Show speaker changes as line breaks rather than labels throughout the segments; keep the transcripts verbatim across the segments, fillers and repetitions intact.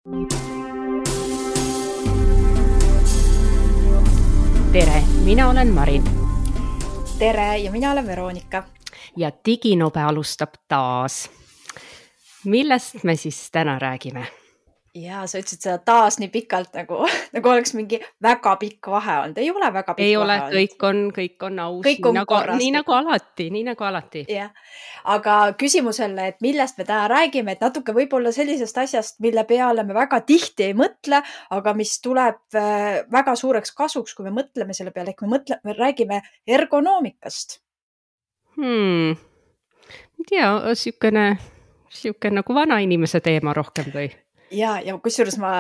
Tere, mina olen Marin.
Tere ja mina olen Veronika.
Ja Diginobe alustab taas. Millest me siis täna räägime?
Ja sa ütlesid seda taas nii pikalt, nagu, nagu oleks mingi väga pikk vahe olnud. Ei ole väga pikk
Ei
vahe
ole,
olnud.
kõik on, kõik on aus,
Kõik on
nii, nagu,
korras,
nii
kõik-
nagu alati, nii nagu alati.
Jah. Aga küsimusele, et millest me täna räägime, et natuke võib-olla sellisest asjast, mille peale me väga tihti ei mõtle, aga mis tuleb äh, väga suureks kasuks, kui me mõtleme selle peale, ehk me, mõtle, me räägime ergonoomikast.
Hmm. Ma ei tea, siukene, siukene nagu vana inimese teema rohkem või?
Ja, ja kusjuures ma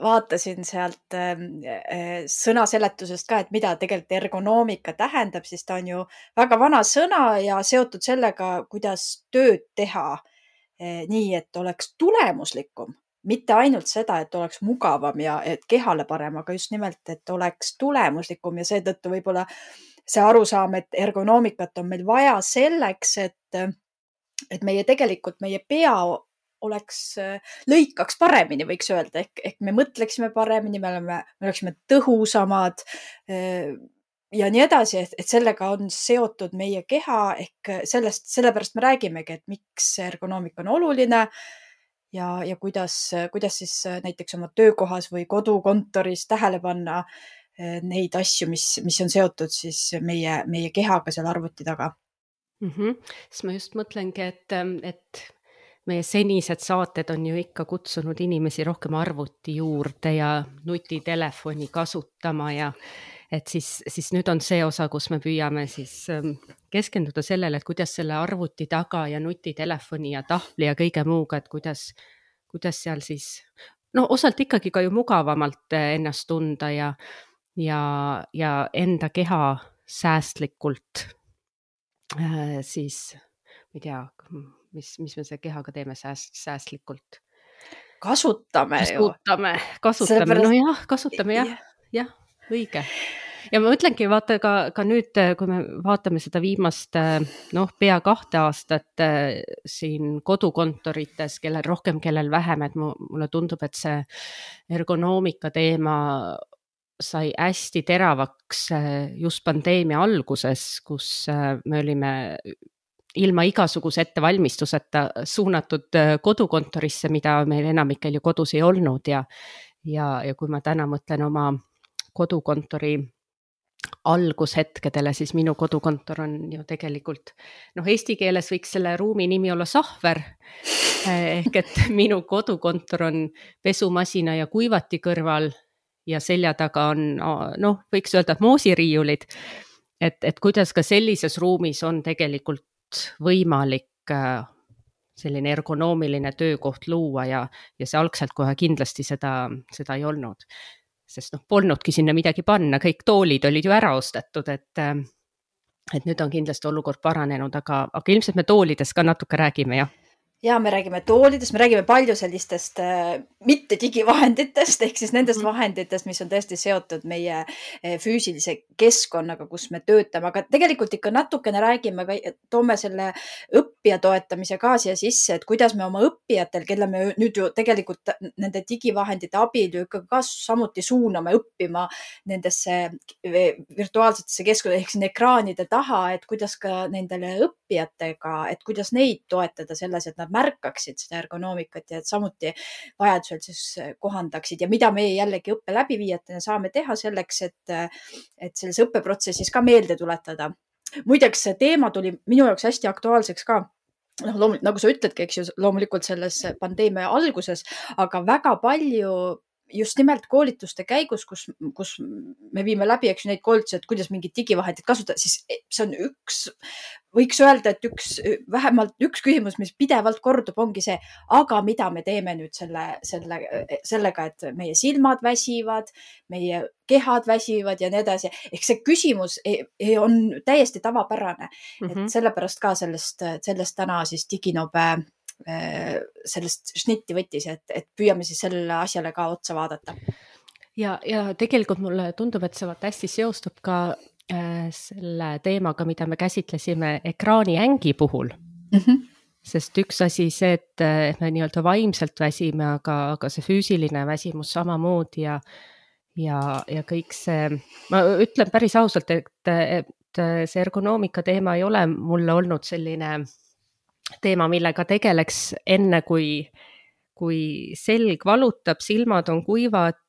vaatasin sealt äh, äh, sõnaseletusest ka, et mida tegelikult ergonoomika tähendab, siis ta on ju väga vana sõna ja seotud sellega, kuidas tööd teha äh, nii, et oleks tulemuslikum. Mitte ainult seda, et oleks mugavam ja et kehale parem, aga just nimelt, et oleks tulemuslikum ja seetõttu võib-olla see arusaam, et ergonoomikat on meil vaja selleks, et, et meie tegelikult meie pea oleks, lõikaks paremini, võiks öelda, ehk, ehk me mõtleksime paremini, me, oleme, me oleksime tõhusamad ja nii edasi, et, et sellega on seotud meie keha, ehk sellest, sellepärast me räägimegi, et miks ergonoomika on oluline ja, ja kuidas, kuidas siis näiteks oma töökohas või kodukontoris tähele panna neid asju, mis, mis on seotud siis meie, meie kehaga seal arvuti taga.
Mm-hmm. Siis ma just mõtlengi, et, et meie senised saated on ju ikka kutsunud inimesi rohkem arvuti juurde ja nutitelefoni kasutama ja et siis, siis nüüd on see osa, kus me püüame siis keskenduda sellele, et kuidas selle arvuti taga ja nutitelefoni ja tahvli ja kõige muuga, et kuidas, kuidas seal siis, no osalt ikkagi ka ju mugavamalt ennast tunda ja, ja, ja enda keha säästlikult äh, siis, ma ei tea, mis, mis me see kehaga teeme sääst, säästlikult.
Kasutame,
kasutame ju. Kasutame,
Sellepärast...
no jah, kasutame jah, jah, õige. Ja ma mõtlengi, vaata ka, ka nüüd, kui me vaatame seda viimast, noh, pea kahte aastat siin kodukontorites, kellel rohkem, kellel vähem, et mulle tundub, et see ergonoomika teema sai hästi teravaks just pandeemia alguses, kus me olime ilma igasuguse ettevalmistuseta suunatud kodukontorisse, mida meil enamikel ju kodus ei olnud ja, ja, ja kui ma täna mõtlen oma kodukontori algushetkedele, siis minu kodukontor on ju tegelikult, noh, eesti keeles võiks selle ruumi nimi olla Sahver, ehk et minu kodukontor on pesumasina ja kuivati kõrval ja selja taga on, noh, võiks öelda, et moosiriiulid, et, et kuidas ka sellises ruumis on tegelikult võimalik selline ergonoomiline töökoht luua ja, ja see algselt kohe kindlasti seda, seda ei olnud. Sest noh, polnudki sinna midagi panna, kõik toolid olid ju ära ostetud, et, et nüüd on kindlasti olukord paranenud, aga, aga ilmselt me toolidest ka natuke räägime, jah?
Ja me räägime toolidest, me räägime palju sellistest äh, mitte digivahenditest, ehk siis nendest mm. vahenditest, mis on tõesti seotud meie äh, füüsilise keskkonnaga, kus me töötame, aga tegelikult ikka natukene räägime, toome selle õppija toetamise ka siia sisse, et kuidas me oma õppijatel, kelle me nüüd ju tegelikult nende digivahendite abil ju ikka ka samuti suuname õppima nendesse virtuaalsetesse keskkonna, ehk siin ekraanide taha, et kuidas ka nendele õppijatega, et kuidas neid toetada selles, et nad märkaksid seda ergonoomikat ja et samuti vajadusel siis kohandaksid ja mida meie jällegi õppe läbiviijatena saame teha selleks, et, et selles õppeprotsessis ka meelde tuletada. Muideks see teema tuli minu jaoks hästi aktuaalseks ka. noh, loomulikult, nagu sa ütledki, eks ju, loomulikult selles pandeemia alguses, aga väga palju just nimelt koolituste käigus, kus, kus me viime läbi, eks ju, neid koolitusi, et kuidas mingid digivahendid kasutada, siis see on üks, võiks öelda, et üks, vähemalt üks küsimus, mis pidevalt kordub, ongi see, aga mida me teeme nüüd selle, selle, sellega, et meie silmad väsivad, meie kehad väsivad ja nii edasi. Ehk see küsimus ei, ei on täiesti tavapärane. Mm-hmm. Et sellepärast ka sellest, sellest täna siis Diginobe sellest šnitti võttis, et, et püüame siis sellele asjale ka otsa vaadata.
Ja, ja tegelikult mulle tundub, et see hästi seostub ka äh, selle teemaga, mida me käsitlesime ekraani ängi puhul. Mm-hmm. sest üks asi see, et, et me nii-öelda vaimselt väsime, aga, aga see füüsiline väsimus samamoodi ja, ja, ja kõik see, ma ütlen päris ausalt, et, et see ergonoomika teema ei ole mulle olnud selline teema, millega tegeleks enne, kui, kui selg valutab, silmad on kuivad,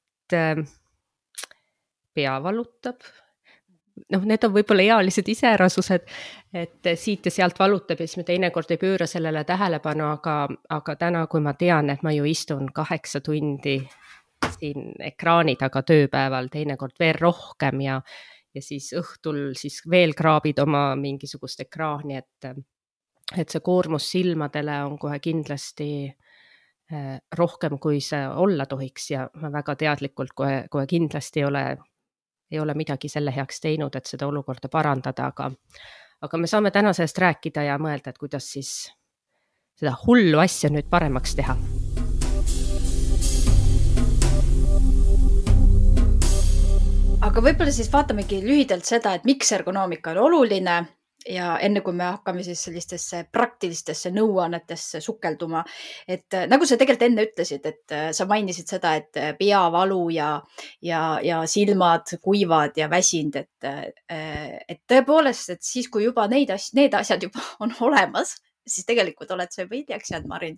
pea valutab. Noh, need on võib-olla ealised iseärasused, et siit ja sealt valutab ja siis me teinekord ei pööra sellele tähelepanu, aga, aga täna, kui ma tean, et ma ju istun kaheksa tundi siin ekraani taga tööpäeval, teinekord veel rohkem ja, ja siis õhtul siis veel kraabid oma mingisugust ekraani, et, et see koormus silmadele on kohe kindlasti rohkem, kui see olla tohiks ja ma väga teadlikult kohe, kohe kindlasti ei ole ei ole midagi selle heaks teinud, et seda olukorda parandada, aga, aga me saame täna sellest rääkida ja mõelda, et kuidas siis seda hullu asja nüüd paremaks teha.
Aga võib-olla siis vaatamegi lühidalt seda, et miks ergonoomika on oluline ja enne kui me hakkame siis sellistesse praktilistesse nõuannetesse sukelduma, et nagu sa tegelikult enne ütlesid, et sa mainisid seda, et peavalu ja, ja, ja silmad kuivad ja väsind, et, et tõepoolest, et siis kui juba neid asja, need asjad juba on olemas, siis tegelikult oled sa juba hiljaks jäänud, Marin.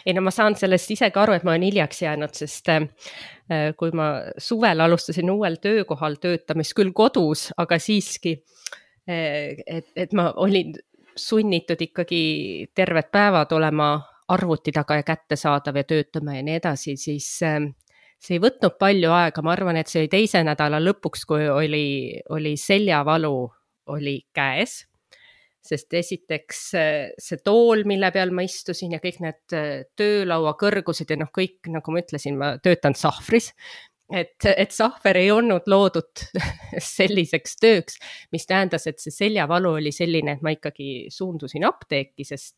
Ei no ma saan sellest ise ka aru, et ma olen hiljaks jäänud, sest kui ma suvel alustasin uuel töökohal töötamist küll kodus, aga siiski Et, et ma olin sunnitud ikkagi terved päevad olema arvuti taga ja kättesaadav ja töötama ja nii edasi, siis see ei võtnud palju aega. Ma arvan, et see oli teise nädala lõpuks, kui oli, oli seljavalu oli käes, sest esiteks see tool, mille peal ma istusin ja kõik need töölaua kõrgused ja noh, kõik, nagu ma ütlesin, ma töötan sahvris, et, et sahver ei olnud loodud selliseks tööks, mis tähendas, et see seljavalu oli selline, et ma ikkagi suundusin apteeki, sest,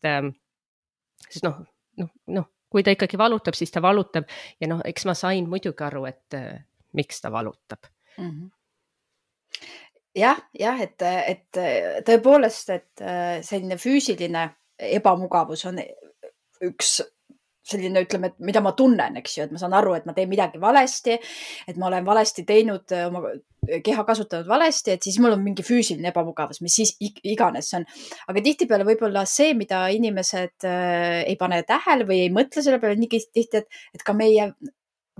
sest noh, noh, noh, kui ta ikkagi valutab, siis ta valutab ja noh, eks ma sain muidugi aru, et miks ta valutab. Mm-hmm.
jah, jah, et, et tõepoolest, et selline füüsiline ebamugavus on üks selline, ütleme, et mida ma tunnen, eks ju, et ma saan aru, et ma teen midagi valesti, et ma olen valesti teinud, oma keha kasutanud valesti, et siis mul on mingi füüsiline ebamugavus, mis siis iganes see on. Aga tihtipeale võib-olla see, mida inimesed ei pane tähele või ei mõtle selle peale nii tihti, et, et ka meie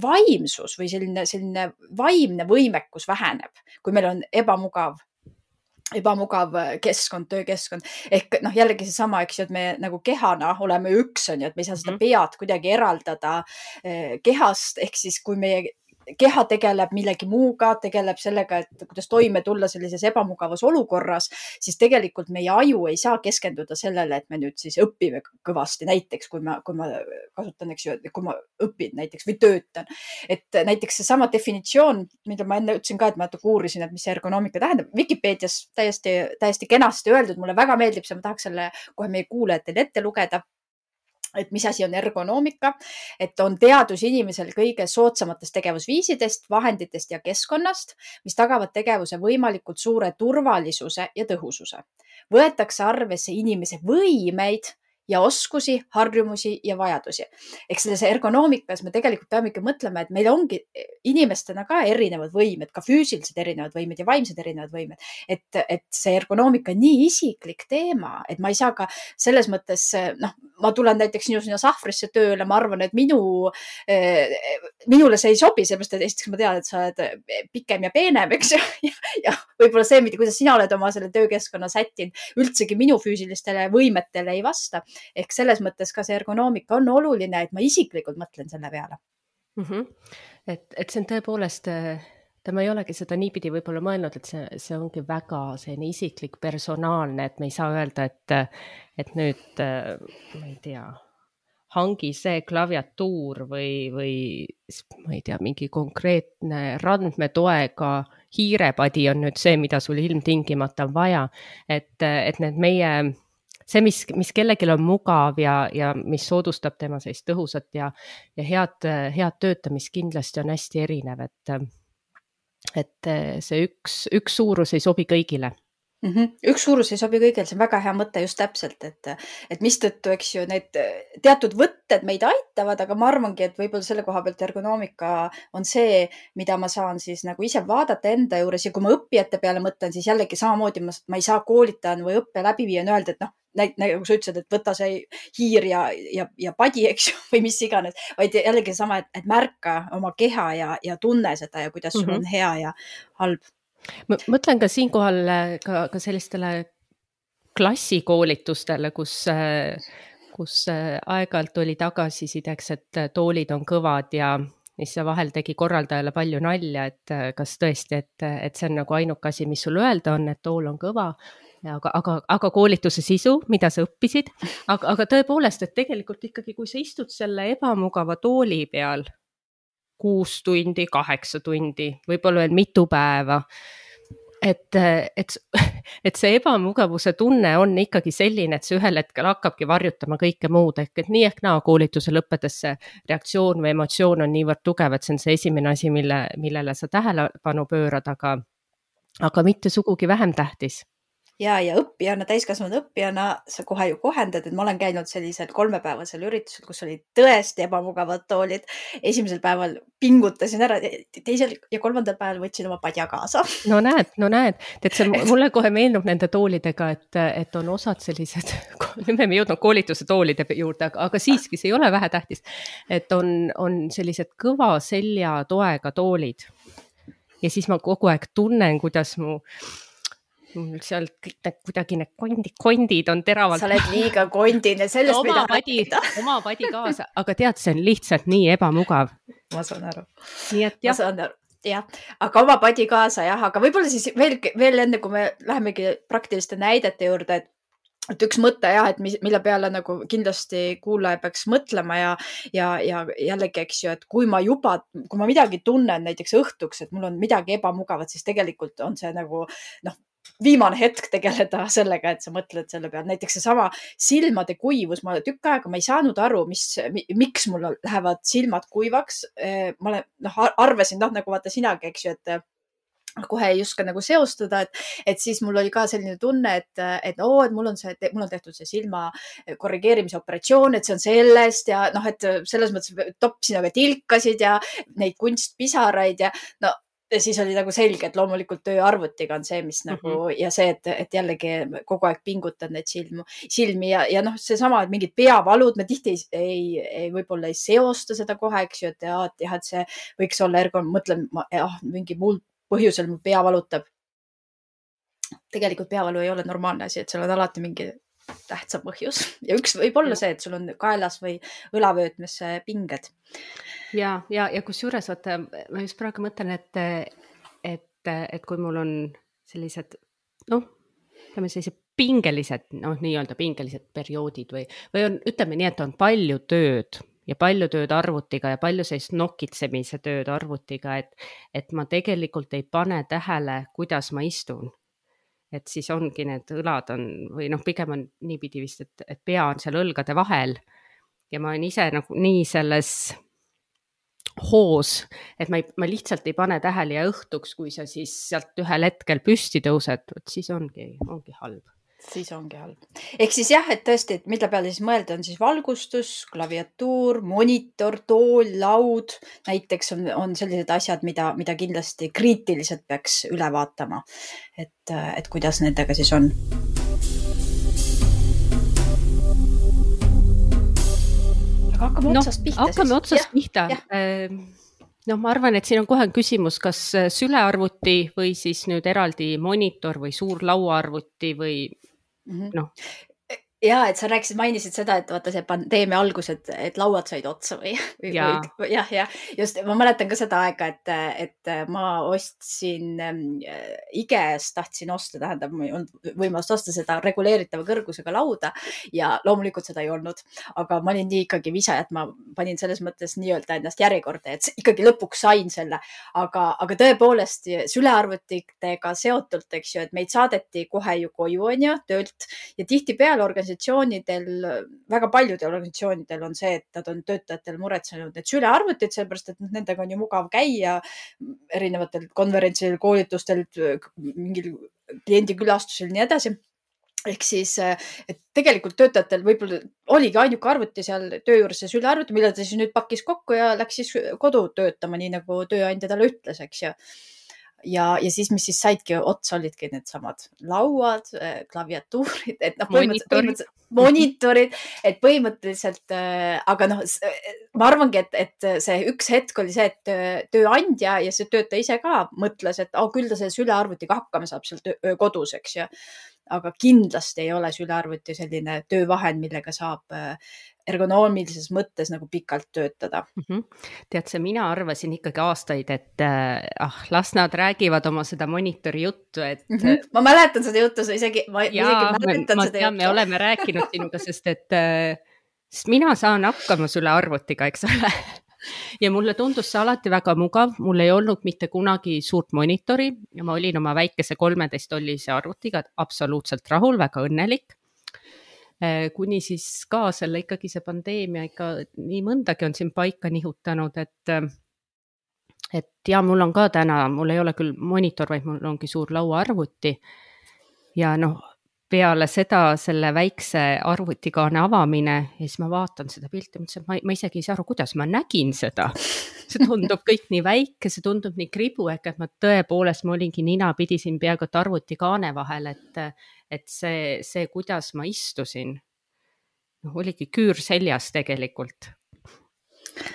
vaimsus või selline, selline vaimne võimekus väheneb, kui meil on ebamugav ebamugav keskkond, töökeskkond. Ehk noh, jällegi see sama, eks ju, et me nagu kehana oleme üks, on ju, et me ei saa seda pead kuidagi eraldada kehast, ehk siis kui meie keha tegeleb millegi muuga, tegeleb sellega, et kuidas toime tulla sellises ebamugavas olukorras, siis tegelikult meie aju ei saa keskenduda sellele, et me nüüd siis õpime kõvasti, näiteks kui ma, kui ma kasutan, eks ju, kui ma õpin näiteks või töötan. Et näiteks see sama definitsioon, mida ma enne ütlesin ka, et ma natuke uurisin, et mis see ergonoomika tähendab, Wikipedias täiesti, täiesti kenasti öeldud, mulle väga meeldib see, ma tahaks selle kohe meie kuulajatele ette lugeda. Et mis asi on ergonoomika, et on teadus inimesel kõige soodsamatest tegevusviisidest, vahenditest ja keskkonnast, mis tagavad tegevuse võimalikult suure turvalisuse ja tõhususe. Võetakse arvesse inimese võimeid ja oskusi, harjumusi ja vajadusi. Ehk selles ergonoomikas me tegelikult peame ikka mõtlema, et meil ongi inimestena ka erinevad võimed, ka füüsilised erinevad võimed ja vaimsed erinevad võimed. Et, et see ergonoomika on nii isiklik teema, et ma ei saa ka selles mõttes, noh, ma tulen näiteks sinu sinna sahvrisse tööle, ma arvan, et minu, minule see ei sobi, sellepärast, et esiteks ma tean, et sa oled pikem ja peenem, eks ju, ja, ja võib-olla see, kuidas sina oled oma selle töökeskkonna sättinud, üldsegi minu füüsilistele võimetele ei vasta. Ehk selles mõttes ka see ergonoomika on oluline, et ma isiklikult mõtlen selle peale.
Mm-hmm. Et, et see on tõepoolest, ta ma ei olegi seda niipidi võib-olla mõelnud, et see, see ongi väga selline isiklik, personaalne, et me ei saa öelda, et, et nüüd, ma ei tea, hangi see klaviatuur või, või ma ei tea, mingi konkreetne randmetoega hiirepadi on nüüd see, mida sul ilmtingimata on vaja. Et, et need meie see, mis, mis kellelgi on mugav ja, ja mis soodustab tema sellist tõhusat ja, ja head, head töötamist kindlasti on hästi erinev, et, et see üks, üks suurus ei sobi kõigile.
Mm -hmm. Üks suurus ei sobi kõigil, see on väga hea mõte just täpselt, et, et mistõttu, eks ju, need teatud võtted meid aitavad, aga ma arvangi, et võib-olla selle koha pealt ergonoomika on see, mida ma saan siis nagu ise vaadata enda juures ja kui ma õppijate peale mõtlen, siis jällegi samamoodi ma, ma ei saa koolitajana või õppe läbiviijana öelda, et noh, nagu sa ütlesid, et võta see hiir ja, ja, ja padi, eks ju, või mis iganes, vaid jällegi sama, et, et märka oma keha ja, ja tunne seda ja kuidas sul
Mhm.
on hea ja halb.
Ma mõtlen ka siinkohal ka, ka sellistele klassikoolitustele, kus, kus aeg-ajalt oli tagasisideks, et toolid on kõvad ja mis vahel tegi korraldajale palju nalja, et kas tõesti, et, et see on nagu ainuke asi, mis sul öelda on, et tool on kõva. Ja, aga, aga, aga koolituse sisu, mida sa õppisid, aga, aga tõepoolest, et tegelikult ikkagi, kui sa istud selle ebamugava tooli peal kuus tundi, kaheksa tundi, võib-olla veel mitu päeva, et, et, et see ebamugavuse tunne on ikkagi selline, et see ühel hetkel hakkabki varjutama kõike muud, ehk et nii ehk naa koolituse lõppedes see reaktsioon või emotsioon on niivõrd tugev, et see on see esimene asi, mille, millele sa tähelepanu pöörad, aga, aga mitte sugugi vähem tähtis.
Ja, ja õppijana, täiskasvanud õppijana sa kohe ju kohendad, et ma olen käinud sellisel kolmepäevasel üritusel, kus olid tõesti ebamugavad toolid. Esimesel päeval pingutasin ära, teisel ja kolmandal päeval võtsin oma padja kaasa.
No näed, no näed, et see mulle kohe meenub nende toolidega, et, et on osad sellised, nüüd me ei jõudnud koolituse toolide juurde, aga, aga siiski see ei ole vähetähtis, et on, on sellised kõva selja toega toolid. Ja siis ma kogu aeg tunnen, kuidas mu seal kõik need kuidagi need kondid, kondid on teravalt.
Sa oled liiga kondine, sellest
oma
mida
padi, oma padi kaasa, aga tead, see on lihtsalt nii ebamugav.
Ma saan aru.
Nii et jah.
Ma saan aru. Jah, aga oma padi kaasa jah, aga võib-olla siis veel, veel enne, kui me lähemegi praktiliste näidete juurde, et et üks mõte jah, et mille peale nagu kindlasti kuulaja peaks mõtlema ja, ja, ja jällegi, eks ju, et kui ma juba, kui ma midagi tunnen näiteks õhtuks, et mul on midagi ebamugavat, siis tegelikult on see nagu noh, viimane hetk tegeleda sellega, et sa mõtled selle peale. Näiteks see sama silmade kuivus, ma tükk aega ma ei saanud aru, mis, miks mul lähevad silmad kuivaks. Ma olen, noh, arvasin, noh, nagu vaata sinagi, eks ju, et kohe ei oska nagu seostada, et, et siis mul oli ka selline tunne, et, et oo, et mul on see, mul on tehtud see silma korrigeerimise operatsioon, et see on sellest ja noh, et selles mõttes topsin aga tilkasid ja neid kunstpisaraid ja no, ja siis oli nagu selge, et loomulikult töö arvutiga on see, mis nagu mm -hmm. ja see, et, et jällegi kogu aeg pingutad neid silmu, silmi ja, ja noh, see sama, et mingid peavalud, me tihti ei, ei, ei võib-olla ei seosta seda kohe, eks ju, et jah, et, jah, et see võiks olla ergon, mõtlen, jah, mingi muul põhjusel mu pea valutab. Tegelikult peavalu ei ole normaalne asi, et seal on alati mingi tähtsa põhjus ja üks võib olla see, et sul on kaelas või õlavöötmes pinged.
Ja, ja, ja kus juures, vaata, ma just praegu mõtlen, et, et, et kui mul on sellised, noh, ütleme sellised pingelised, noh, nii-öelda pingelised perioodid või, või on, ütleme nii, et on palju tööd ja palju tööd arvutiga ja palju sellist nokitsemise tööd arvutiga, et, et ma tegelikult ei pane tähele, kuidas ma istun. Et siis ongi need õlad on, või noh, pigem on niipidi vist, et, et pea on seal õlgade vahel ja ma olen ise nagu nii selles hoos, et ma, ei, ma lihtsalt ei pane tähele ja õhtuks, kui sa siis sealt ühel hetkel püsti tõused, siis ongi, ongi halb.
Siis ongi halb. Ehk siis jah, et tõesti, et mille peale siis mõelda on siis valgustus, klaviatuur, monitor, tool, laud. Näiteks on, on sellised asjad, mida, mida kindlasti kriitiliselt peaks üle vaatama, et, et kuidas nendega siis on. Aga hakkame no, otsast pihta.
Hakkame
siis.
otsast
ja,
pihta. No ma arvan, et siin on kohe küsimus, kas sülearvuti või siis nüüd eraldi monitor või suur lauaarvuti või
mm-hmm.
noh.
Ja, et sa rääkisid, mainisid seda, et vaata see pandeemia algus, et, et lauad said otsa või, või,
ja.
või jah, ja just ma mäletan ka seda aega, et, et ma ostsin IKEA-st, tahtsin osta, tähendab, ma ei olnud võimalust osta seda reguleeritava kõrgusega lauda ja loomulikult seda ei olnud, aga ma olin nii ikkagi visa, et ma panin selles mõttes nii-öelda ennast järjekorda, et ikkagi lõpuks sain selle, aga, aga tõepoolest sülearvutitega seotult, eks ju, et meid saadeti kohe ju koju, on ju, töölt ja tihti peale organisatsioonidel, väga paljudel organisatsioonidel on see, et nad on töötajatel muretsenud need sülearvutid, sellepärast, et nendega on ju mugav käia erinevatel konverentsidel, koolitustel, mingil kliendi külastusel ja nii edasi. Ehk siis, et tegelikult töötajatel võib-olla oligi ainuke arvuti seal töö juures see sülearvuti, mille ta siis nüüd pakkis kokku ja läks siis kodu töötama, nii nagu tööandja talle ütles, eks ju. Ja, ja siis, mis siis saidki otsa, olidki need samad lauad, klaviatuurid, et noh, põhimõtteliselt, põhimõtteliselt monitorid, et põhimõtteliselt, aga noh, ma arvangi, et, et see üks hetk oli see, et tööandja ja see töötaja ise ka mõtles, et oh, küll ta selle sülearvutiga hakkama saab seal töö, kodus, eks ju. Aga kindlasti ei ole sülearvuti selline töövahend, millega saab ergonoomilises mõttes nagu pikalt töötada.
Mm-hmm. Tead see, mina arvasin ikkagi aastaid, et ah, las nad räägivad oma seda monitori juttu, et
mm-hmm. ma mäletan seda juttu, isegi, ma
Jaa,
isegi mäletan
ma
seda
tean,
juttu.
Me oleme rääkinud sinuga, sest et sest mina saan hakkama sülearvutiga, eks ole. Ja mulle tundus see alati väga mugav, mul ei olnud mitte kunagi suurt monitori ja ma olin oma väikese kolmeteist tollise arvutiga absoluutselt rahul, väga õnnelik. Kuni siis ka selle ikkagi see pandeemia ikka nii mõndagi on siin paika nihutanud, et, et ja mul on ka täna, mul ei ole küll monitor, vaid mul ongi suur lauaarvuti ja noh, peale seda selle väikse arvutikaane avamine ja siis ma vaatan seda pilti, mõtlesin, et ma, ma isegi ei saa aru, kuidas ma nägin seda. See tundub kõik nii väike, see tundub nii kribu, ehk et ma tõepoolest, ma olingi nina, pidisin peaaegu arvutikaane vahel, et, et see, see, kuidas ma istusin, noh, oligi küür seljas tegelikult.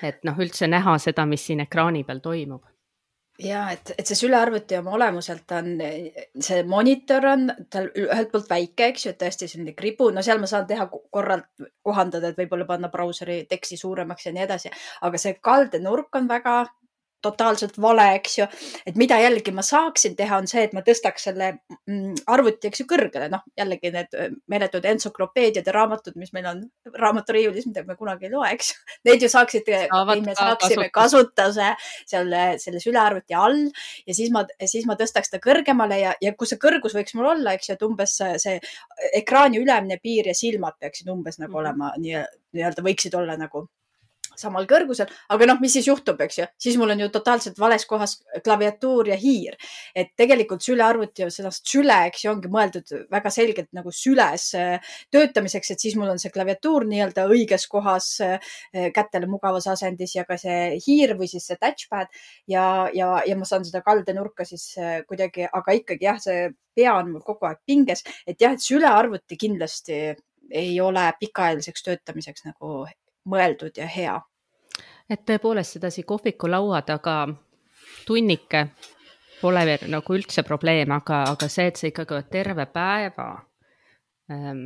Et noh, üldse näha seda, mis siin ekraani peal toimub.
Ja, et, et see sülearvuti oma olemuselt on, see monitor on tal ühelt poolt väike, eks ju, et tõesti selline kribu, no seal ma saan teha korralt kohandada, et võib-olla panna brauseri teksti suuremaks ja nii edasi, aga see kaldenurk on väga totaalselt vale, eks ju, et mida jällegi ma saaksin teha on see, et ma tõstaks selle arvuti, eks ju, kõrgele, noh, jällegi need meeletud entsüklopeediad ja raamatud, mis meil on raamaturiiulis, mida me kunagi ei loe, eks ju, need ju saaksid, me saaksime kasutuse selle, selle sülearvuti all ja siis ma, siis ma tõstaks ta kõrgemale ja, ja kus see kõrgus võiks mul olla, eks ju, et umbes see ekraani ülemine piir ja silmad peaksid umbes nagu olema, nii-öelda võiksid olla nagu samal kõrgusel, aga noh, mis siis juhtub, eks ju, siis mul on ju totaalselt vales kohas klaviatuur ja hiir, et tegelikult sülearvuti ja sellest süle, eks ju, ongi mõeldud väga selgelt nagu süles töötamiseks, et siis mul on see klaviatuur nii-öelda õiges kohas kätele mugavas asendis ja ka see hiir või siis see touchpad ja, ja, ja ma saan seda kaldenurka siis kuidagi, aga ikkagi jah, see pea on mul kogu aeg pinges, et jah, et sülearvuti kindlasti ei ole pikaajaliseks töötamiseks nagu mõeldud ja hea.
Et tõepoolest sedasi kohviku laua taga tunnike pole nagu üldse probleem, aga, aga see, et see ikkagi terve päeva ähm,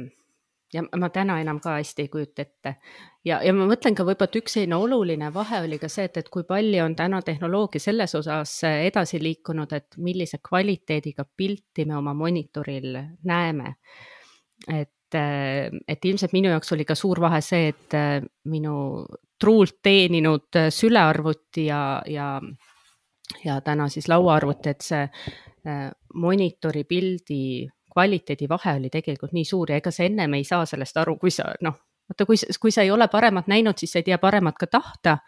ja ma täna enam ka hästi ei kujuta ette. Ja, ja ma mõtlen ka võib-olla, et üks selline oluline vahe oli ka see, et, et kui palju on täna tehnoloogia selles osas edasi liikunud, et millise kvaliteediga pilti me oma monitoril näeme. Et et ilmselt minu jaoks oli ka suur vahe see, et minu truult teeninud sülearvuti ja, ja, ja täna siis lauaarvuti, et see monitori pildi kvaliteedi vahe oli tegelikult nii suur ja ega sa ennem ei saa sellest aru, kui sa, noh, vaata, kui, kui sa ei ole paremat näinud, siis sa ei tea paremat ka tahta,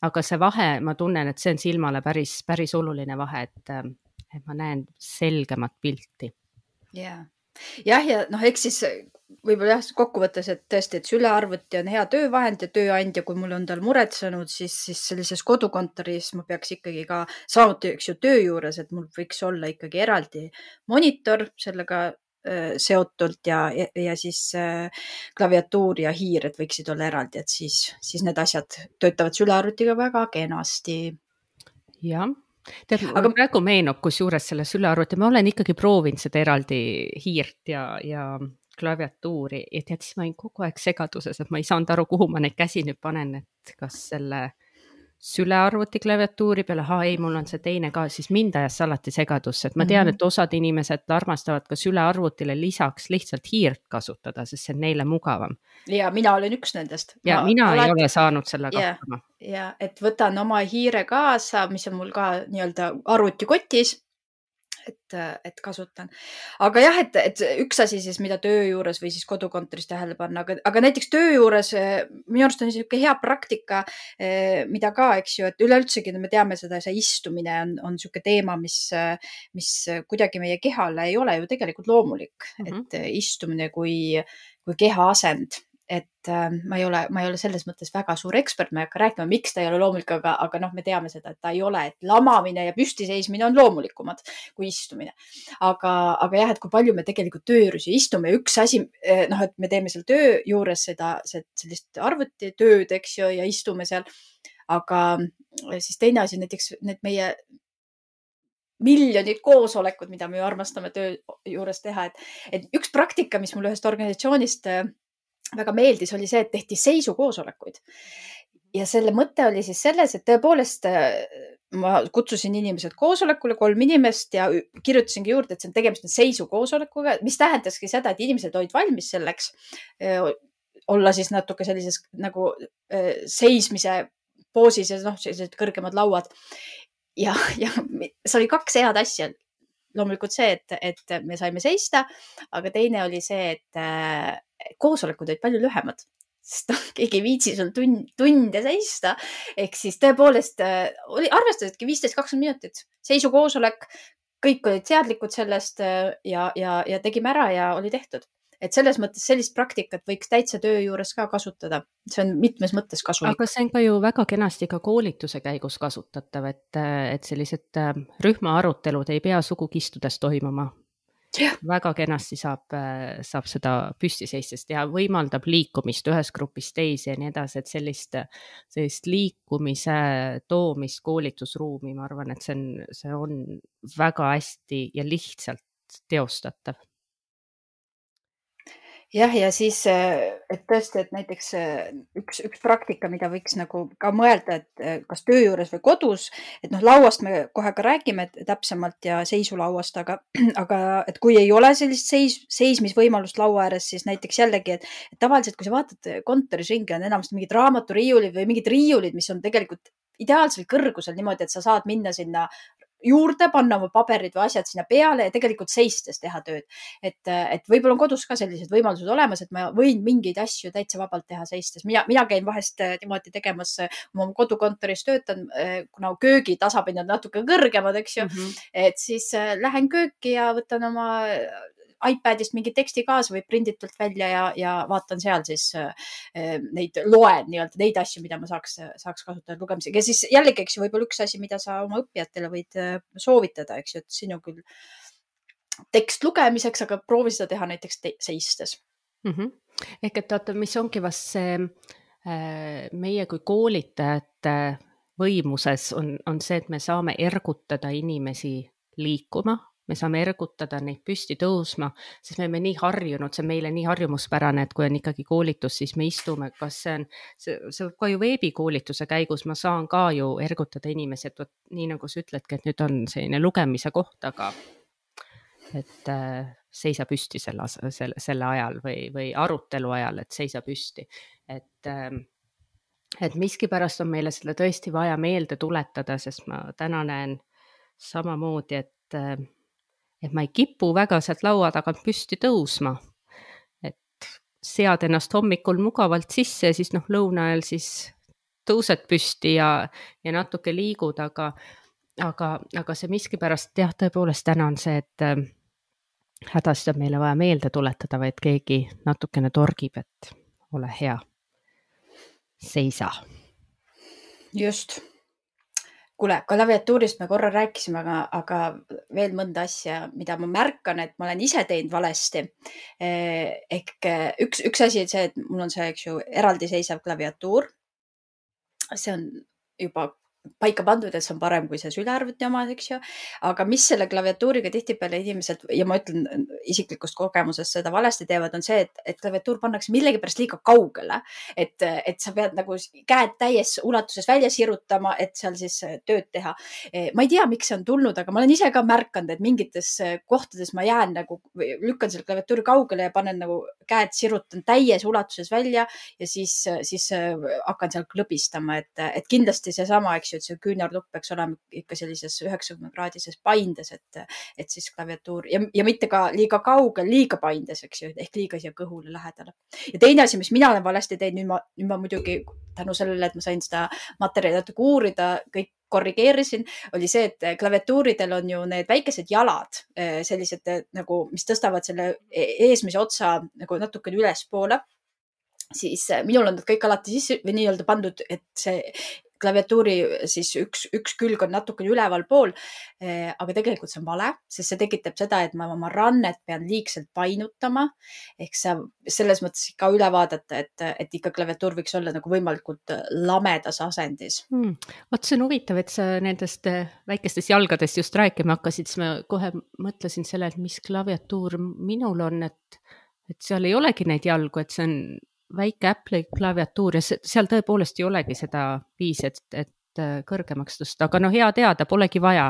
aga see vahe, ma tunnen, et see on silmale päris, päris oluline vahe, et, et ma näen selgemat pilti.
Jaa. Jah, ja noh, eks siis võib-olla jah, kokkuvõttes, et tõesti, et sülearvuti on hea töövahend ja tööandja, kui mul on tal muretsenud, siis, siis sellises kodukontoris ma peaks ikkagi ka samuti, eks ju, töö juures, et mul võiks olla ikkagi eraldi monitor sellega äh, seotult ja, ja, ja siis äh, klaviatuur ja hiir, et võiksid olla eraldi, et siis, siis need asjad töötavad sülearvutiga väga kenasti.
Jah. Tead, aga praegu meenub, kus juures selle sülearvuti, ma olen ikkagi proovinud seda eraldi hiirt ja, ja klaviatuuri ja tead, siis ma olin kogu aeg segaduses, et ma ei saanud aru, kuhu ma neid käsi nüüd panen, et kas selle sülearvuti klaviatuuri peale, haa ei, mul on see teine ka, siis mind ajas alati segadusse, et ma tean, et osad inimesed armastavad ka sülearvutile lisaks lihtsalt hiirt kasutada, sest see on neile mugavam.
Ja mina olen üks nendest.
Ja
ma
mina
alati...
ei ole saanud sellega
ja,
hakkama.
Ja, et võtan oma hiire kaasa, mis on mul ka nii-öelda arvutikotis et, et kasutan. Aga jah, et, et üks asi siis, mida töö juures või siis kodukontoris tähele panna, aga, aga näiteks töö juures minu arust on niisugune hea praktika, mida ka, eks ju, et üleüldsegi me teame seda, see istumine on, on niisugune teema, mis, mis kuidagi meie kehale ei ole ju tegelikult loomulik, mm -hmm. et istumine kui, kui keha asend. Et ma ei ole, ma ei ole selles mõttes väga suur ekspert, ma ei hakka rääkima, miks ta ei ole loomulik, aga, aga noh, me teame seda, et ta ei ole, et lamamine ja püstiseismine on loomulikumad kui istumine. Aga, aga jah, et kui palju me tegelikult töö juures istume, üks asi, noh, et me teeme seal töö juures seda, sellist arvutitööd, eks ju, ja istume seal. Aga siis teine asi, näiteks need meie miljonid koosolekud, mida me ju armastame töö juures teha, et, et üks praktika, mis mul ühest organisatsioonist väga meeldis, oli see, et tehti seisukoosolekuid. Ja selle mõte oli siis selles, et tõepoolest ma kutsusin inimesed koosolekule, kolm inimest ja kirjutasingi juurde, et see on tegemist seisukoosolekuga, mis tähendaski seda, et inimesed olid valmis selleks olla siis natuke sellises nagu seismise poosis ja noh, sellised kõrgemad lauad. Ja, ja see oli kaks head asja. Loomulikult see, et, et me saime seista, aga teine oli see, et koosolekud olid palju lühemad, sest noh, keegi ei viitsi sul tund, tunde seista. Ehk siis tõepoolest oli arvestasidki viisteist kakskümmend minutit seisukoosolek, kõik olid seadlikud sellest ja, ja, ja tegime ära ja oli tehtud. Et selles mõttes sellist praktikat võiks täitsa töö juures ka kasutada. See on mitmes mõttes kasulik.
Aga see on ka ju väga kenasti ka koolituse käigus kasutatav, et, et sellised rühma arutelud ei pea sugugi istudes toimuma. Ja. Väga kenasti saab, saab seda püstiseistes teha, võimaldab liikumist ühes grupis teisi ja nii edasi, et sellist, sellist liikumise toomist koolitusruumi, ma arvan, et see on, see on väga hästi ja lihtsalt teostatav.
Jah, ja siis, et tõesti, et näiteks üks, üks praktika, mida võiks nagu ka mõelda, et kas töö juures või kodus, et noh, lauast me kohe ka räägime täpsemalt ja seisulauast, aga, aga et kui ei ole sellist seis, seismisvõimalust laua ääres, siis näiteks jällegi, et, et tavaliselt, kui sa vaatad kontoris ringi, on enamasti mingid raamaturiiulid või mingid riiulid, mis on tegelikult ideaalsel kõrgusel niimoodi, et sa saad minna sinna juurde, panna oma paberid või asjad sinna peale ja tegelikult seistes teha tööd. Et, et võib-olla on kodus ka sellised võimalused olemas, et ma võin mingeid asju täitsa vabalt teha seistes. Mina, mina käin vahest niimoodi tegemas, oma kodukontoris töötan, kuna köögi tasapinnad natuke kõrgemad, eks ju, mm-hmm. et siis lähen kööki ja võtan oma iPadist mingi teksti kaasa või prinditult välja ja, ja vaatan seal siis neid loen nii-öelda neid asju, mida ma saaks, saaks kasutada lugemisega. Ja siis jällegi, eks ju, võib-olla üks asi, mida sa oma õppijatele võid soovitada, eks ju, et sinu küll tekst lugemiseks, aga proovi seda teha näiteks te- seistes.
Mm-hmm. Ehk et oota, mis ongi vast see meie kui koolitajate võimuses on, on see, et me saame ergutada inimesi liikuma, me saame ergutada neid püsti tõusma, sest me oleme nii harjunud, see on meile nii harjumuspärane, et kui on ikkagi koolitus, siis me istume, kas see on, see, see ka ju veebikoolituse käigus, ma saan ka ju ergutada inimesi, et võt, nii nagu sa ütledki, et nüüd on selline lugemise koht, aga et äh, seisa püsti selle, selle, selle ajal või, või arutelu ajal, et seisa püsti, et äh, et miskipärast on meile selle tõesti vaja meelde tuletada, sest ma täna näen samamoodi, et äh, et ma ei kipu väga sealt laua tagant püsti tõusma, et sead ennast hommikul mugavalt sisse ja siis noh, lõuna ajal siis tõused püsti ja, ja natuke liigud, aga, aga, aga see miskipärast jah, tõepoolest täna on see, et äh, hädasti on meile vaja meelde tuletada, või et keegi natukene torgib, et ole hea, seisa.
Just. Kuule, klaviatuurist me korra rääkisime, aga, aga veel mõnda asja, mida ma märkan, et ma olen ise teinud valesti. Ehk üks, üks asi on see, et mul on see, eks ju, eraldi seisav klaviatuur. See on juba paika pandud, et see on parem kui see sülearvuti oma, eks ju. Aga mis selle klaviatuuriga tihtipeale inimesed, ja ma ütlen isiklikust kogemusest seda valesti teevad, on see, et, et klaviatuur pannakse millegipärast liiga kaugele. Et, et sa pead nagu käed täies ulatuses välja sirutama, et seal siis tööd teha. Ma ei tea, miks see on tulnud, aga ma olen ise ka märkanud, et mingites kohtades ma jään nagu, lükkan selle klaviatuuri kaugele ja panen nagu käed sirutan täies ulatuses välja ja siis, siis hakkan seal klõbistama, et, et kindlasti seesama, eks eks ju, et see küünarnupp peaks olema ikka sellises üheksakümne kraadises paindes, et, et siis klaviatuur ja, ja mitte ka liiga kaugel, liiga paindes, eks ju, ehk liiga siia kõhule lähedale. Ja teine asi, mis mina olen valesti teinud, nüüd ma, nüüd ma muidugi tänu sellele, et ma sain seda materjali natuke uurida, kõik korrigeerisin, oli see, et klaviatuuridel on ju need väikesed jalad, sellised nagu, mis tõstavad selle eesmise otsa nagu natukene ülespoole. Siis minul on nad kõik alati sisse või nii-öelda pandud, et see klaviatuuri siis üks, üks külg on natukene üleval pool, aga tegelikult see on vale, sest see tekitab seda, et ma oma rannet pean liigselt painutama, ehk sa selles mõttes ka üle vaadata, et, et ikka klaviatuur võiks olla nagu võimalikult lamedas asendis.
Hmm. Oot, see on huvitav, et sa nendest väikestest jalgadest just rääkima hakkasid, siis ma kohe mõtlesin selle, et mis klaviatuur minul on, et, et seal ei olegi neid jalgu, et see on väike Apple'i klaviatuur ja seal tõepoolest ei olegi seda viisi, et, et kõrgemaks tõsta, aga no hea teada, polegi vaja.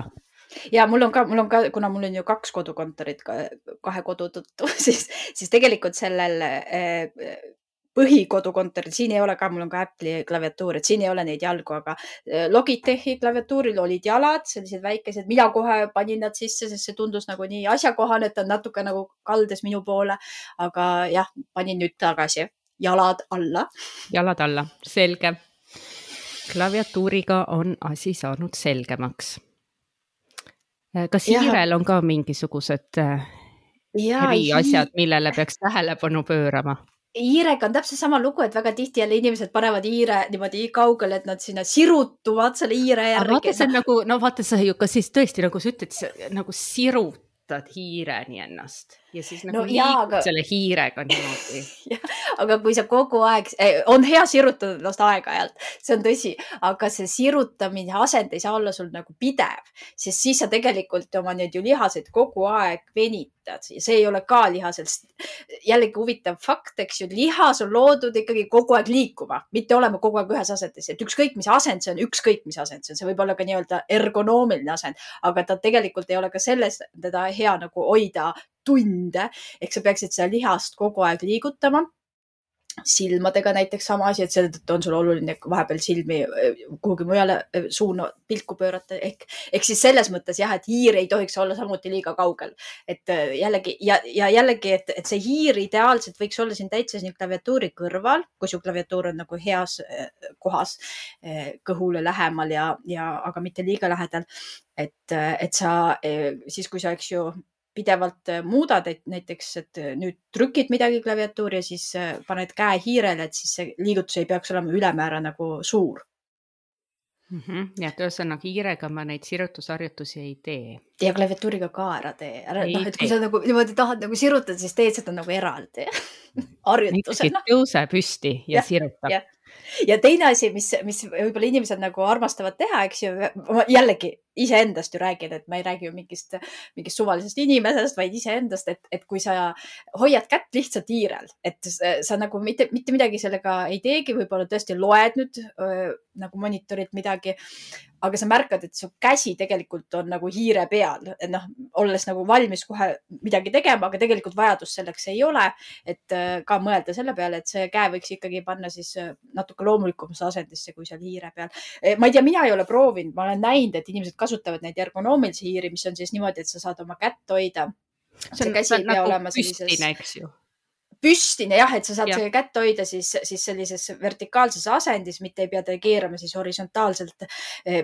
Ja mul on ka, mul on ka, kuna mul on ju kaks kodukontorit kahe kodu tõttu, siis, siis tegelikult sellel põhikodukontoril, siin ei ole ka, mul on ka Apple'i klaviatuur, et siin ei ole neid jalgu, aga Logitechi klaviatuuril olid jalad, sellised väikesed, mina kohe panin nad sisse, sest see tundus nagu nii asjakohane, et ta on natuke nagu kaldes minu poole, aga jah, panin nüüd tagasi. Jalad alla.
Jalad alla, selge. Klaviatuuriga on asi saanud selgemaks. Kas hiirel on ka mingisugused eriasjad, millele peaks tähelepanu pöörama?
Hiirega on täpselt sama lugu, et väga tihti jälle inimesed panevad hiire niimoodi kaugele, et nad sinna sirutuvad selle hiire järgi.
Vaata, see on nagu, no vaata, sa ju ka siis tõesti, nagu sa ütled, nagu sirutad hiireni ennast. Ja siis nagu no, liikud aga... selle hiirega niimoodi.
Ja, aga kui sa kogu aeg, on hea sirutada ennast aeg-ajalt, see on tõsi, aga see sirutamine asend ei saa olla sul nagu pidev, sest siis sa tegelikult oma need ju lihaseid kogu aeg venitad. See ei ole ka lihasest. Jällegi huvitav fakt, eks ju, lihas on loodud ikkagi kogu aeg liikuma, mitte olema kogu aeg ühes asendis. Et ükskõik, mis asend see on, ükskõik, mis asend see on. See võib olla ka nii-öelda ergonoomiline asend, aga ta tegelikult ei ole ka selles, teda hea nagu hoida tunde, ehk sa peaksid seda lihast kogu aeg liigutama. Silmadega näiteks sama asi, et selle on sul oluline vahepeal silmi kuhugi mujale suuna pilku pöörata. Ehk, ehk siis selles mõttes jah, et hiir ei tohiks olla samuti liiga kaugel. Et jällegi, ja, ja jällegi, et, et see hiir ideaalselt võiks olla siin täitsa siin klaviatuuri kõrval, kui su klaviatuur on nagu heas kohas kõhule lähemal ja, ja aga mitte liiga lähedal. Et, et sa siis, kui sa eks ju pidevalt muudad, et näiteks, et nüüd trükid midagi klaviatuuri ja siis paned käe hiirele, et siis see liigutus ei peaks olema ülemäära nagu suur.
Mm-hmm. Ja tõesõnaga hiirega ma neid sirutusharjutusi ei tee.
Ja klaviatuuriga ka ära tee. Ära, no, et kui sa nagu, niimoodi tahad nagu sirutada, siis teed seda nagu eraldi. Harjutusena.
Tõuse püsti ja, ja sirutab.
Ja. Ja teine asi, mis, mis võib-olla inimesed nagu armastavad teha, eks ju, jällegi iseendast ju räägin, et ma ei räägi ju mingist, mingist suvalisest inimesest, vaid iseendast, et, et kui sa hoiad kätt lihtsalt hiirel, et sa nagu mitte, mitte midagi sellega ei teegi, võib-olla tõesti loed nüüd öö, nagu monitorit midagi, aga sa märkad, et su käsi tegelikult on nagu hiire peal, et noh, olles nagu valmis kohe midagi tegema, aga tegelikult vajadus selleks ei ole, et ka mõelda selle peale, et see käe võiks ikkagi panna siis natuke loomulikumasse asendisse kui seal hiire peal. Ma ei tea, mina ei ole proovinud, ma olen näinud, et inimesed kasutavad neid ergonoomilisi hiiri, mis on siis niimoodi, et sa saad oma kätt hoida.
See on, see on nagu püstine, eks ju.
Püstine jah, et sa saad ja. Selle kätt hoida siis, siis sellises vertikaalses asendis, mitte ei pea ta keerama siis horisontaalselt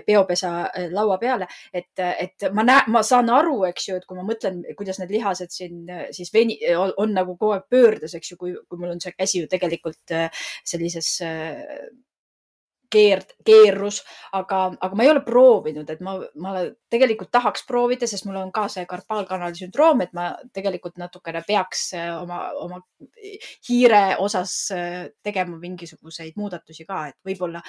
peopesa laua peale. Et, et ma, näe, ma saan aru, eks ju, et kui ma mõtlen, kuidas need lihased siin siis veni, on, on nagu kogu aeg pöördes, eks ju, kui, kui mul on see käsi ju tegelikult sellises keer, keerus, aga, aga ma ei ole proovinud, et ma, ma tegelikult tahaks proovida, sest mul on ka see karpaalkanali sündroom, et ma tegelikult natukene peaks oma, oma hiire osas tegema mingisuguseid muudatusi ka, et võib-olla,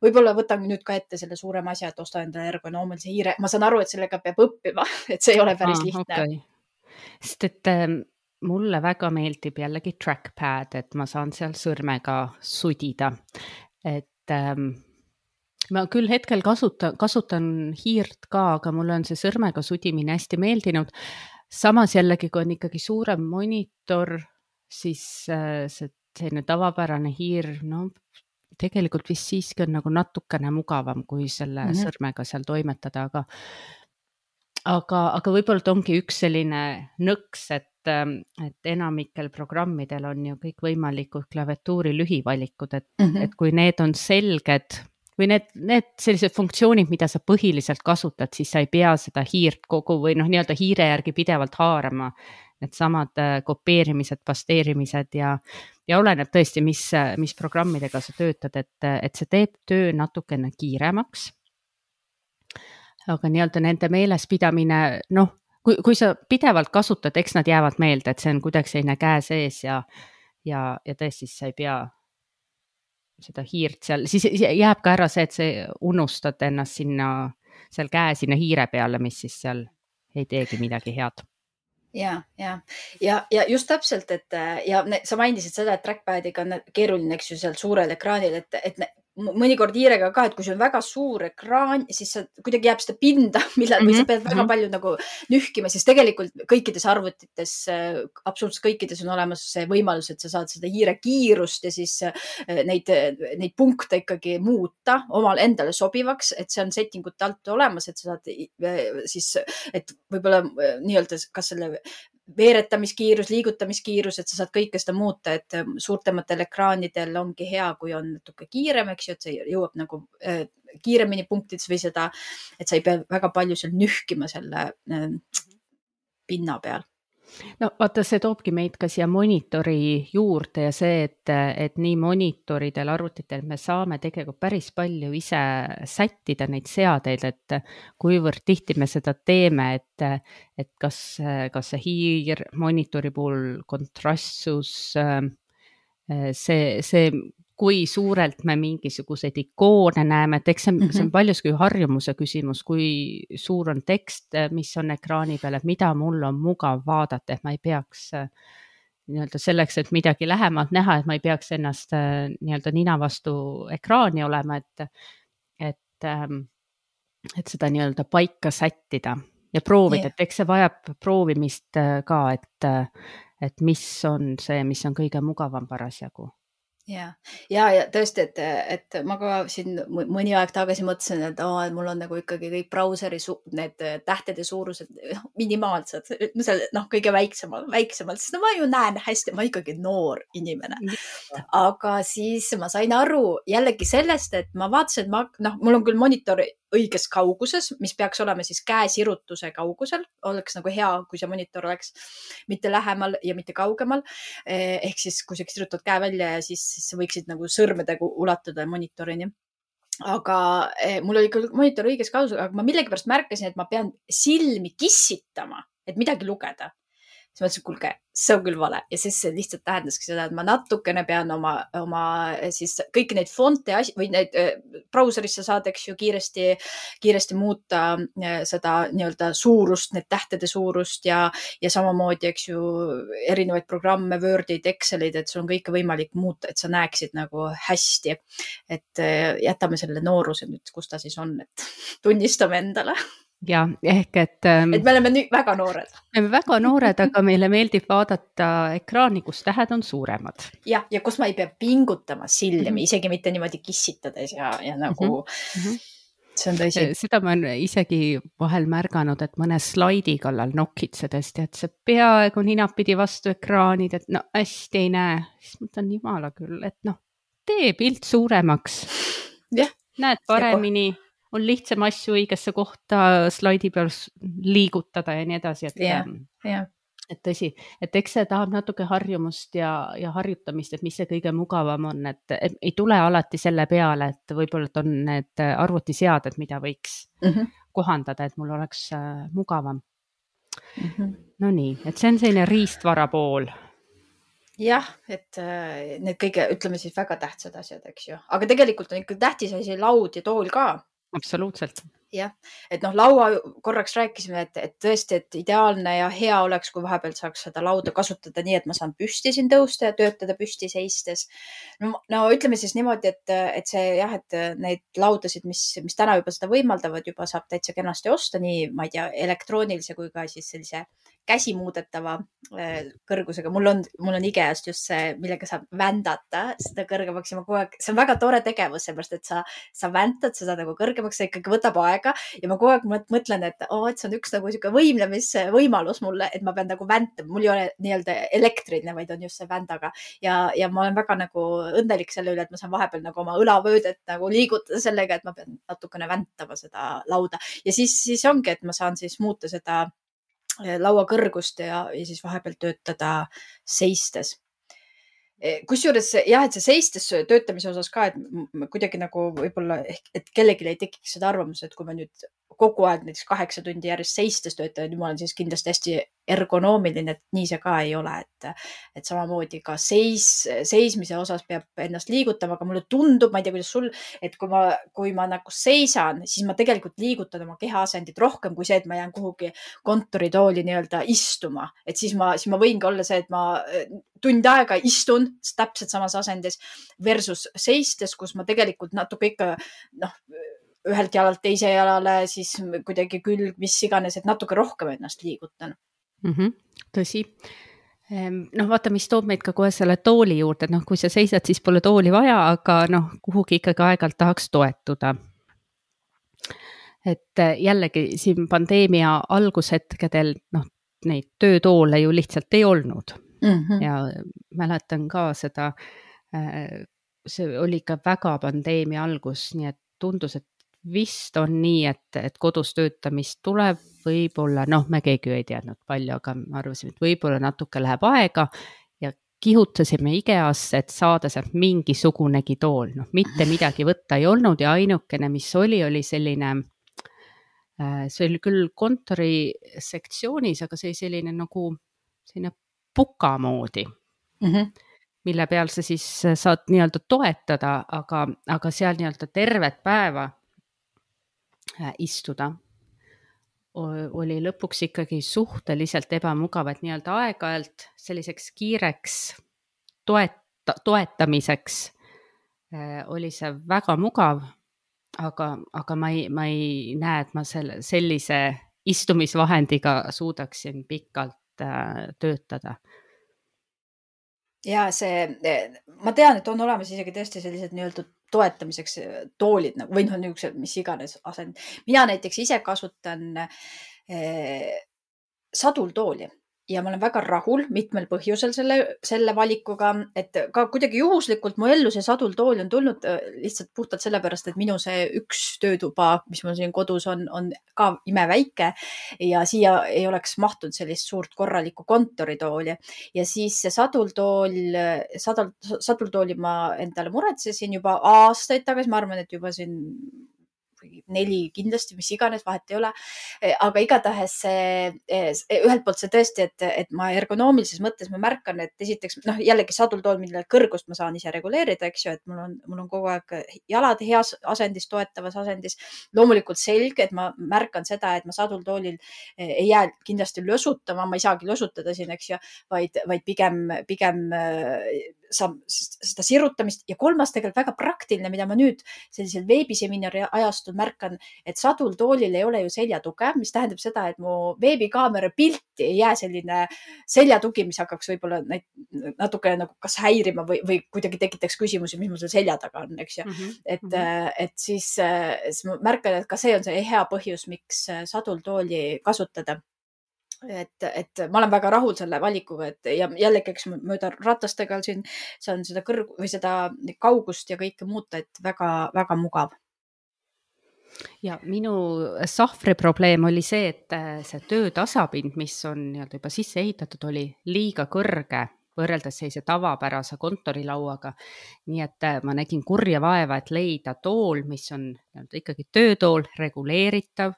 võib-olla võtan nüüd ka ette selle suurema asja, et osta endale ergonoomilise hiire. Ma saan aru, et sellega peab õppima, et see ei ole päris ah, lihtne.
Okay. Sest et mulle väga meeldib jällegi trackpad, et ma saan seal sõrmega sudida, et Ähm, ma küll hetkel kasutan, kasutan hiirt ka, aga mulle on see sõrmega sudimine hästi meeldinud. Samas jällegi, kui on ikkagi suurem monitor, siis äh, see selline tavapärane hiir, no tegelikult vist siiski on nagu natukene mugavam, kui selle mm -hmm. sõrmega seal toimetada, aga aga, aga võib-olla ongi üks selline nõks, et, et enamikel programmidel on ju kõik võimalikud klaviatuuri lühivalikud, et, mm -hmm. et kui need on selged või need, need sellised funktsioonid, mida sa põhiliselt kasutad, siis sa ei pea seda hiirt kogu või noh, nii-öelda hiire järgi pidevalt haarama. Need samad kopeerimised, pasteerimised ja, ja oleneb tõesti, mis, mis programmidega sa töötad, et, et see teeb töö natukene kiiremaks. Aga nii-öelda nende meelespidamine, noh, kui, kui sa pidevalt kasutad, eks nad jäävad meelde, et see on kuidagi selline käe sees ja, ja, ja tõesti sa ei pea seda hiirt seal, siis jääb ka ära see, et sa unustad ennast sinna, seal käe sinna hiire peale, mis siis seal ei teegi midagi head.
Ja, ja, ja, ja just täpselt, et ja ne, sa mainisid seda, et trackpadiga on keeruline, eks ju, seal suurel ekraanil, et, et ne, mõnikord hiirega ka, et kui sul on väga suur ekraan, siis sa kuidagi jääb seda pinda, millal, mm -hmm. või sa pead väga mm -hmm. palju nagu nühkima, siis tegelikult kõikides arvutites, absoluutselt kõikides on olemas see võimalus, et sa saad seda hiire kiirust ja siis neid, neid punkte ikkagi muuta omal endale sobivaks, et see on settingute alt olemas, et sa saad siis, et võib-olla nii-öelda kas selle veeretamiskiirus, liigutamiskiirus, et sa saad kõike seda muuta, et suurtematel ekraanidel ongi hea, kui on natuke kiirem, eks ju, et see jõuab nagu äh, kiiremini punktides või seda, et sa ei pea väga palju seal nühkima selle äh, pinna peal.
No vaata, see toobki meid ka siia monitori juurde ja see, et, et nii monitoridel, arvutitel me saame tegelikult päris palju ise sättida neid seadeid, et kuivõrd tihti me seda teeme, et, et kas, kas see hiir, monitori puhul kontrastsus, see, see kui suurelt me mingisuguseid ikoone näeme, et eks see, see on paljuski harjumuse küsimus, kui suur on tekst, mis on ekraani peal, et mida mul on mugav vaadata, et ma ei peaks nii-öelda selleks, et midagi lähemalt näha, et ma ei peaks ennast nii-öelda nina vastu ekraani olema, et, et, et seda nii-öelda paika sättida ja proovida, yeah. et eks see vajab proovimist ka, et, et mis on see, mis on kõige mugavam parasjagu.
Ja, ja, ja tõesti, et, et ma ka siin mõni aeg tagasi mõtlesin, et, oh, et mul on nagu ikkagi kõik brauseri su need tähtede suurused minimaalsed, no seal noh, kõige väiksemal, väiksemalt, sest no ma ju näen hästi, ma ikkagi noor inimene. Aga siis ma sain aru jällegi sellest, et ma vaatasin, et ma, noh, mul on küll monitor õiges kauguses, mis peaks olema siis käesirutuse kaugusel, oleks nagu hea, kui see monitor oleks mitte lähemal ja mitte kaugemal. Ehk siis, kui sa sirutad käe välja ja siis, siis sa võiksid nagu sõrmedega ulatuda monitorini. Aga mul oli küll monitor õiges kauguses, aga ma millegipärast märkasin, et ma pean silmi kissitama, et midagi lugeda. Siis ma ütlesin, kulge, see on küll vale. Ja siis see lihtsalt tähendaski seda, et ma natukene pean oma, oma siis kõiki neid fonte asi, või neid brauserisse saad, eks ju, kiiresti, kiiresti muuta seda nii-öelda suurust, need tähtede suurust ja, ja samamoodi, eks ju, erinevaid programme, Wordid, Excelid, et sul on kõike võimalik muuta, et sa näeksid nagu hästi. Et jätame selle nooruse nüüd, kus ta siis on, et tunnistame endale.
Ja ehk, et,
et me oleme nüüd väga noored.
Me oleme väga noored, aga meile meeldib vaadata ekraani, kus tähed on suuremad.
Ja, ja kus ma ei pea pingutama silmi, mm -hmm. isegi mitte niimoodi kissitades ja, ja nagu mm -hmm. see on tõsi.
Seda ma olen isegi vahel märganud, et mõne slaidi kallal nokitsedes, et see peaaegu ninapidi vastu ekraanid, et no hästi ei näe. Siis mõtlen jumala küll, et noh, tee pilt suuremaks.
Ja.
Näed paremini. On lihtsam asju õigesse kohta slaidi peal liigutada ja nii edasi, et,
yeah, yeah.
et tõsi, et eks see tahab natuke harjumust ja, ja harjutamist, et mis see kõige mugavam on, et, et ei tule alati selle peale, et võib-olla on need arvutiseaded, mida võiks mm -hmm. kohandada, et mul oleks äh, mugavam. Mm -hmm. No nii, et see on selline riistvara pool.
Jah, et äh, need kõige, ütleme siis väga tähtsad asjad, eks ju, aga tegelikult on ikka tähtis asi laud ja tool ka.
Absoluutselt.
jah, et noh, laua korraks rääkisime, et, et tõesti, et ideaalne ja hea oleks, kui vahepeal saaks seda lauda kasutada nii, et ma saan püsti siin tõusta ja töötada püsti seistes. No, no ütleme siis niimoodi, et, et see jah, et neid laudasid, mis, mis täna juba seda võimaldavad, juba saab täitsa kenasti osta nii, ma ei tea, elektroonilise kui ka siis sellise käsimuudetava kõrgusega. Mul on, mul on IKEA-st just see, millega saab vändata seda kõrgemaks ja ma kogu aeg, see on väga tore tegevus, sellepärast, et sa, sa väntad seda nagu kõrgemaks, see ikkagi võtab aega ja ma kogu aeg mõtlen, et oo, et see on üks nagu siuke võimlemisvõimalus mulle, et ma pean nagu väntama. Mul ei ole nii-öelda elektriline, vaid on just see vändaga ja, ja ma olen väga nagu õnnelik selle üle, et ma saan vahepeal nagu oma õlavöödet nagu liigutada sellega, et ma pean natukene väntama seda lauda ja siis, siis ongi, et ma saan siis muuta seda laua kõrgust ja, ja siis vahepeal töötada seistes. Kusjuures jah, et see seistes töötamise osas ka, et kuidagi nagu võib-olla ehk, et kellelegi ei tekiks seda arvamust, et kui ma nüüd kogu aeg näiteks kaheksa tundi järjest seistes töötan, nüüd ma olen siis kindlasti hästi ergonoomiline, et nii see ka ei ole, et, et samamoodi ka seis, seismise osas peab ennast liigutama, aga mulle tundub, ma ei tea, kuidas sul, et kui ma, kui ma nagu seisan, siis ma tegelikult liigutan oma kehaasendit rohkem kui see, et ma jään kuhugi kontoritooli nii-öelda istuma, et siis ma, siis ma võingi olla see, et ma tund aega istun täpselt samas asendis versus seistes, kus ma tegelikult natuke ikka noh, ühelt jalalt teise jalale, siis kuidagi külg, mis iganes, et natuke rohkem ennast liigutan.
Mm -hmm, tõsi. Noh, vaata, mis toob meid ka kohe selle tooli juurde, et noh, kui sa seisad, siis pole tooli vaja, aga noh, kuhugi ikkagi aeg-ajalt tahaks toetuda. Et jällegi siin pandeemia algushetkedel, noh, neid töötoole ju lihtsalt ei olnud. Mm -hmm. Ja mäletan ka seda, see oli ka väga pandeemia algus, nii et tundus, et vist on nii, et, et kodus töötamist tuleb võib-olla, noh, me keegi ei teadnud palju, aga me arvasime, et võib-olla natuke läheb aega ja kihutasime IKEA-sse, et saada sealt mingisugunegi tool. Noh, mitte midagi võtta ei olnud ja ainukene, mis oli, oli selline, see oli küll kontori sektsioonis, aga see oli selline nagu selline puka moodi. Mm -hmm. mille peal sa siis saad nii-öelda toetada, aga, aga seal nii-öelda tervet päeva istuda oli lõpuks ikkagi suhteliselt ebamugav, et nii-öelda aeg-ajalt selliseks kiireks toeta, toetamiseks oli see väga mugav, aga, aga ma ei, ma ei näe, et ma selle, sellise istumisvahendiga suudaksin pikalt töötada.
Ja see, ma tean, et on olemas isegi tõesti sellised nii-öelda toetamiseks toolid või noh, niisugused, mis iganes asend. Mina näiteks ise kasutan eh, sadultooli ja ma olen väga rahul mitmel põhjusel selle, selle valikuga, et ka kuidagi juhuslikult mu ellu see sadultool on tulnud lihtsalt puhtalt sellepärast, et minu see üks töötuba, mis mul siin kodus on, on ka imeväike ja siia ei oleks mahtunud sellist suurt korralikku kontoritooli. Ja siis see sadultool, sadul, sadultooli ma endale muretsesin juba aastaid tagasi, ma arvan, et juba siin neli kindlasti, mis iganes, vahet ei ole. Aga igatahes ühelt poolt see tõesti, et, et ma ergonoomilises mõttes ma märkan, et esiteks noh, jällegi sadultool, mille kõrgust ma saan ise reguleerida, eks ju, et mul on, mul on kogu aeg jalad heas asendis, toetavas asendis. Loomulikult selge, et ma märkan seda, et ma sadultoolil ei jää kindlasti lösutama, ma ei saagi lösutada siin, eks ju, vaid, vaid pigem, pigem saab seda sirutamist ja kolmas tegelikult väga praktiline, mida ma nüüd sellisel veebiseminari ajastul märkan, et sadultoolil ei ole ju seljatuge, mis tähendab seda, et mu veebikaamera pilti ei jää selline seljatugi, mis hakkaks võib-olla natuke nagu kas häirima või, või kuidagi tekitaks küsimusi, mis mul seal selja taga on, eks ju. Mm -hmm. et, et siis, siis ma märkan, et ka see on see hea põhjus, miks sadultooli kasutada. Et, et ma olen väga rahul selle valikuga, et ja jällegi, eks mööda ratastega siin saan seda kõrg või seda kaugust ja kõike muuta, et väga, väga mugav.
Ja minu sahvri probleem oli see, et see töötasapind, mis on nii-öelda juba sisse ehitatud, oli liiga kõrge võrreldes sellise tavapärase kontorilauaga. Nii et ma nägin kurja vaeva, et leida tool, mis on ikkagi töötool, reguleeritav,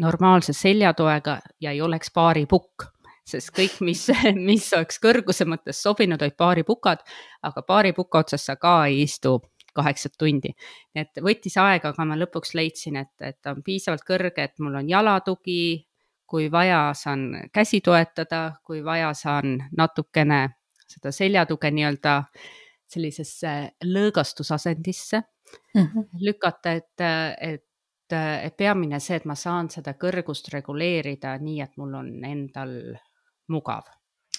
normaalse seljatoega ja ei oleks baaripukk, sest kõik, mis, mis oleks kõrguse mõttes sobinud, olid baaripukad, aga baaripuka otsas sa ka ei istu kaheksat tundi. Et võttis aega, aga ma lõpuks leidsin, et, et on piisavalt kõrge, et mul on jalatugi, kui vaja, saan käsi toetada, kui vaja, saan natukene seda seljatuge nii-öelda sellisesse lõõgastusasendisse mm -hmm. lükata, et, et, et peamine see, et ma saan seda kõrgust reguleerida nii, et mul on endal mugav.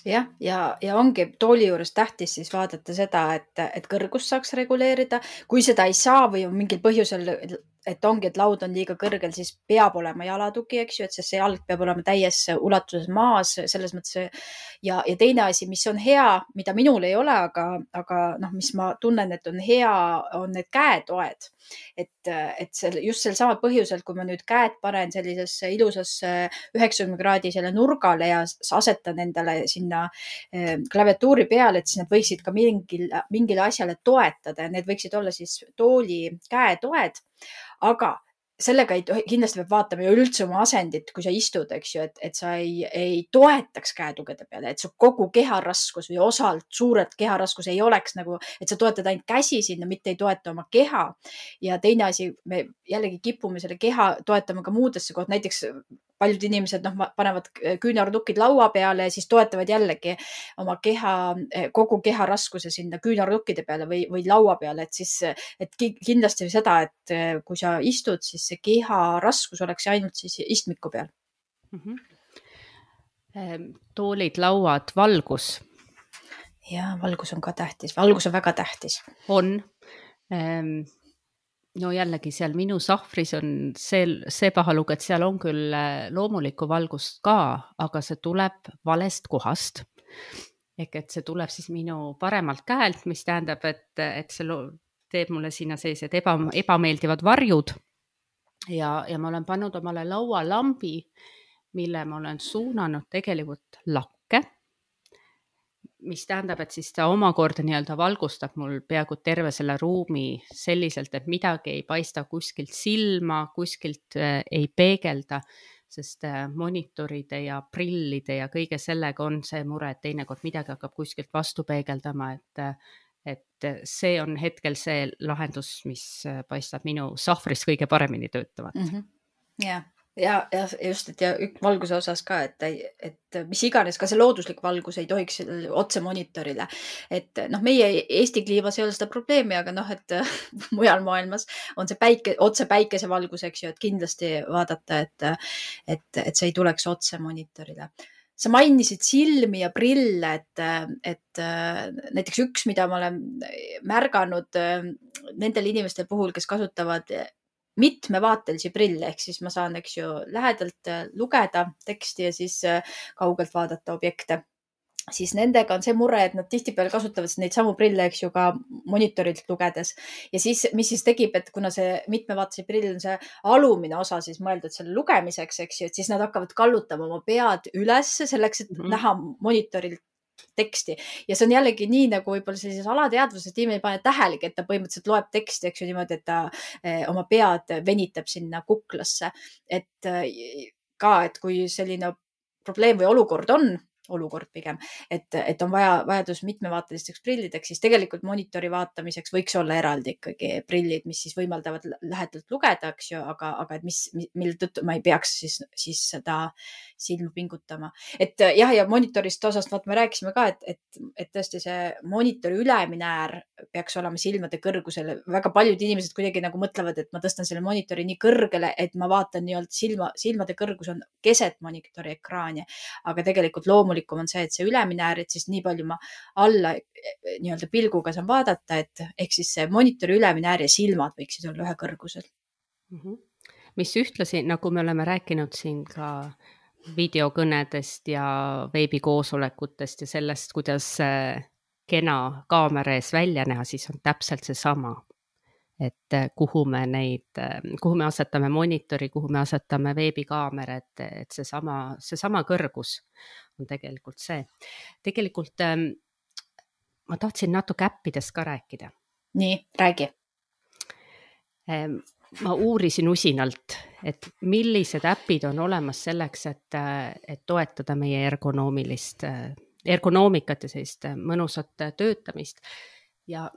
Jah, ja, ja ongi tooli juures tähtis siis vaadata seda, et, et kõrgust saaks reguleerida. Kui seda ei saa või on mingil põhjusel, et ongi, et laud on liiga kõrgel, siis peab olema jalatugi, eks ju, et see jalg peab olema täies ulatuses maas, selles mõttes. Ja, ja teine asi, mis on hea, mida minul ei ole, aga, aga noh, mis ma tunnen, et on hea, on need käetoed. Et, et see, just sel samal põhjusel, kui ma nüüd käed panen sellisesse ilusasse üheksakümne kraadisele nurgale ja asetan endale sinna klaviatuuri peale, et siis nad võiksid ka mingil, mingile asjale toetada ja need võiksid olla siis tooli käetoed. Aga sellega ei tohi, kindlasti peab vaatama ju üldse oma asendit, kui sa istud, eks ju, et, et sa ei, ei toetaks käetugede peale, et su kogu keharaskus või osalt suurelt keharaskus ei oleks nagu, et sa toetad ainult käsi sinna, mitte ei toeta oma keha. Ja teine asi, me jällegi kipume selle keha toetama ka muudesse kohta, näiteks paljud inimesed noh, panevad küünarnukid laua peale ja siis toetavad jällegi oma keha, kogu keha raskuse sinna küünarnukkide peale või, või laua peale, et siis, et kindlasti seda, et kui sa istud, siis see keha raskus oleks ainult siis istmiku peal.
Mm-hmm. Toolid, lauad, valgus.
Ja valgus on ka tähtis, valgus on väga tähtis.
On. No jällegi seal minu sahvris on see, see pahalugu, et seal on küll loomulikku valgust ka, aga see tuleb valest kohast. Ehk et see tuleb siis minu paremalt käelt, mis tähendab, et, et see teeb mulle sinna sellised eba, ebameeldivad varjud. Ja, ja ma olen pannud omale laualambi, mille ma olen suunanud tegelikult lakke, mis tähendab, et siis ta omakorda nii-öelda valgustab mul peaaegu terve selle ruumi selliselt, et midagi ei paista kuskilt silma, kuskilt ei peegelda, sest monitoride ja prillide ja kõige sellega on see mure, et teinekord midagi hakkab kuskilt vastu peegeldama, et, et see on hetkel see lahendus, mis paistab minu sahvris kõige paremini töötavat.
Mm-hmm. Yeah. Ja, ja just, et ja valguse osas ka, et, et mis iganes, ka see looduslik valgus ei tohiks otse monitorile. Et noh, meie Eesti kliimas ei ole seda probleemi, aga noh, et mujal maailmas on see päike, otse päikesevalgus, eks ju, et kindlasti vaadata, et, et, et see ei tuleks otse monitorile. Sa mainisid silmi ja prille, et, et näiteks üks, mida ma olen märganud nendel inimestel puhul, kes kasutavad mitmevaatelisi prille, ehk siis ma saan, eks ju, lähedalt lugeda teksti ja siis kaugelt vaadata objekte. Siis nendega on see mure, et nad tihtipeale kasutavad neid samu prille, eks ju, ka monitorilt lugedes. Ja siis, mis siis tegib, et kuna see mitmevaatelise prill on see alumine osa siis mõeldud selle lugemiseks, eks ju, et siis nad hakkavad kallutama oma pead üles selleks, et mm-hmm. näha monitorilt teksti. Ja see on jällegi nii, nagu võib-olla sellises alateadvuses tiim ei pane tähelegi, et ta põhimõtteliselt loeb teksti, eks ju, niimoodi, et ta eh, oma pead venitab sinna kuklasse. Et eh, ka, et kui selline probleem või olukord on, olukord pigem, et, et on vaja vajadus mitmevaatelisteks prillideks, siis tegelikult monitori vaatamiseks võiks olla eraldi ikkagi prillid, mis siis võimaldavad lähedalt lugeda, eks ju, aga, aga et mis, mille tõttu ma ei peaks siis, siis seda silma pingutama. Et jah, ja monitorist osast vaat me rääkisime ka, et, et, et tõesti see monitori ülemine äär peaks olema silmade kõrgusel. Väga paljud inimesed kuidagi nagu mõtlevad, et ma tõstan selle monitori nii kõrgele, et ma vaatan nii-öelda silma, silmade kõrgus on keset monitori ekraani, aga tegelikult loomulikult on see, et see ülemine äär, et siis nii palju ma alla nii-öelda pilguga saan vaadata, et ehk siis see monitori ülemine äär ja silmad võiksid olla ühe kõrgusel.
Mm-hmm. Mis ühtlasi, nagu me oleme rääkinud siin ka videokõnedest ja veebikoosolekutest ja sellest, kuidas kena kaamera ees välja näha, siis on täpselt see sama. Et kuhu me neid, kuhu me asetame monitori, kuhu me asetame veebikaamera, et, et see sama, see sama kõrgus on tegelikult see. Tegelikult ma tahtsin natuke äppidest ka rääkida.
Nii, räägi.
Ma uurisin usinalt, et millised äpid on olemas selleks, et, et toetada meie ergonoomilist, ergonoomikat ja sellist mõnusat töötamist. Ja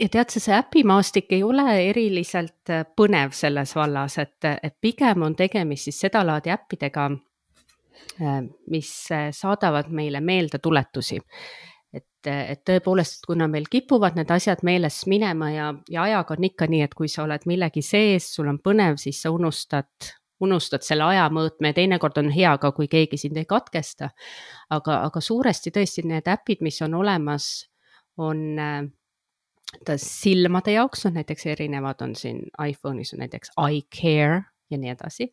ja tead sa, see äpimaastik ei ole eriliselt põnev selles vallas, et, et pigem on tegemist siis seda laadi äppidega, mis saadavad meile meeldetuletusi. Et, et tõepoolest, kuna meil kipuvad need asjad meelest minema ja, ja ajaga on ikka nii, et kui sa oled millegi sees, sul on põnev, siis sa unustad, unustad selle ajamõõtme ja teinekord on hea ka, kui keegi sind ei katkesta. Aga, aga suuresti tõesti need äpid, mis on olemas, on ta silmade jaoks, on näiteks erinevad, on siin iPhone'is on näiteks iCare ja nii edasi,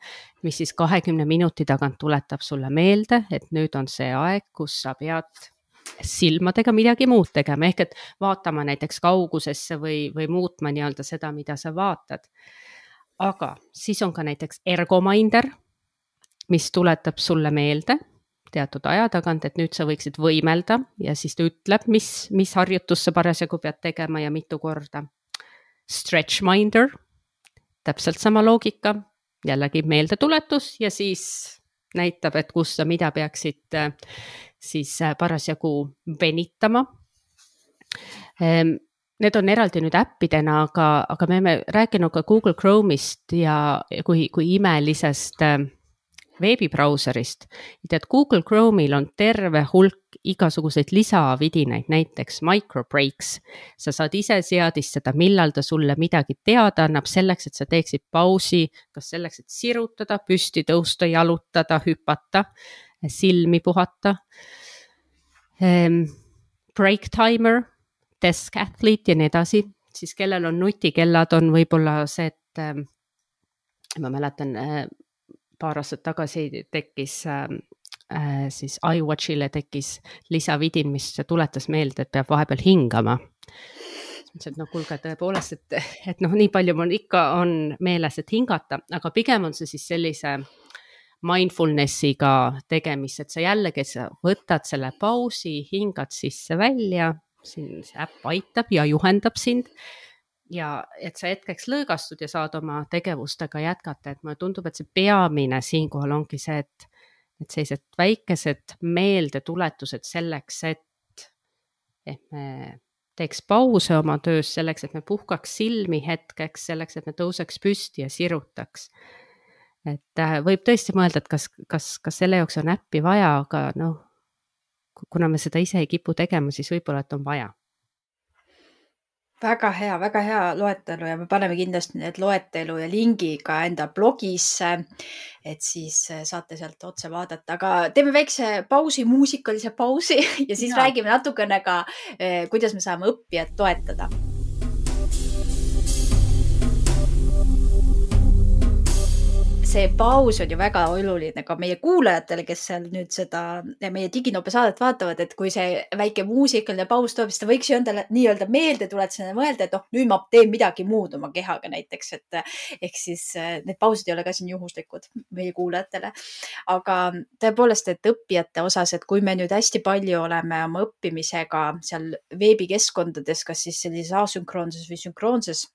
mis siis kahekümne minuti tagant tuletab sulle meelde, et nüüd on see aeg, kus sa pead silmadega midagi muud tegema, ehk et vaatama näiteks kaugusesse või, või muutma nii-öelda seda, mida sa vaatad. Aga siis on ka näiteks Ergominder, mis tuletab sulle meelde teatud aja tagant, et nüüd sa võiksid võimelda ja siis ta ütleb, mis, mis harjutus sa parasjagu pead tegema ja mitu korda. Stretchminder, täpselt sama loogika, jällegi meeldetuletus ja siis näitab, et kus sa mida peaksid siis parasjagu venitama. Need on eraldi nüüd äppidena, aga, aga me oleme rääkinud ka Google Chrome'ist ja kui, kui imelisest veebibrauserist. Tead, Google Chrome'il on terve hulk igasuguseid lisavidinaid, näiteks microbreaks. Sa saad ise seadistada, millal ta sulle midagi teada annab selleks, et sa teeksid pausi, kas selleks, et sirutada, püsti tõusta, jalutada, hüpata, silmi puhata. Break timer, desk athlete ja nii edasi. Siis kellel on nutikellad, on võib-olla see, et ma mäletan, paar aastat tagasi tekkis äh, siis iWatchile tekkis lisavidin, mis tuletas meelde, et peab vahepeal hingama. Et no kuulge, tõepoolest, et, et noh, nii palju mul ikka on meeles, et hingata, aga pigem on see siis sellise mindfulnessiga tegemist, et sa jällegi sa võtad selle pausi, hingad sisse välja, siin see äpp aitab ja juhendab sind. Ja et sa hetkeks lõõgastud ja saad oma tegevustega jätkata, et mulle tundub, et see peamine siinkohal ongi see, et, et sellised väikesed meeldetuletused selleks, et, et me teeks pause oma töös selleks, et me puhkaks silmi hetkeks, selleks, et me tõuseks püsti ja sirutaks. Et võib tõesti mõelda, et kas, kas, kas selle jaoks on äppi vaja, aga noh, kuna me seda ise ei kipu tegema, siis võib-olla, et on vaja.
Väga hea, väga hea loetelu ja me paneme kindlasti need loetelu ja lingi ka enda blogisse, et siis saate sealt otse vaadata, aga teeme väikse pausi, muusikalise pausi ja siis ja. räägime natukene ka, kuidas me saame õppijat toetada. See paus on ju väga oluline ka meie kuulajatele, kes seal nüüd seda meie Diginope saadet vaatavad, et kui see väike muusikaline paus toob, siis ta võiks ju endale nii-öelda meelde tuletada mõelda, et noh, nüüd ma teen midagi muud oma kehaga näiteks, et ehk siis need pausid ei ole ka siin juhuslikud meie kuulajatele. Aga tõepoolest, et õppijate osas, et kui me nüüd hästi palju oleme oma õppimisega seal veebikeskkondades, kas siis sellises asünkroonses või sünkroonses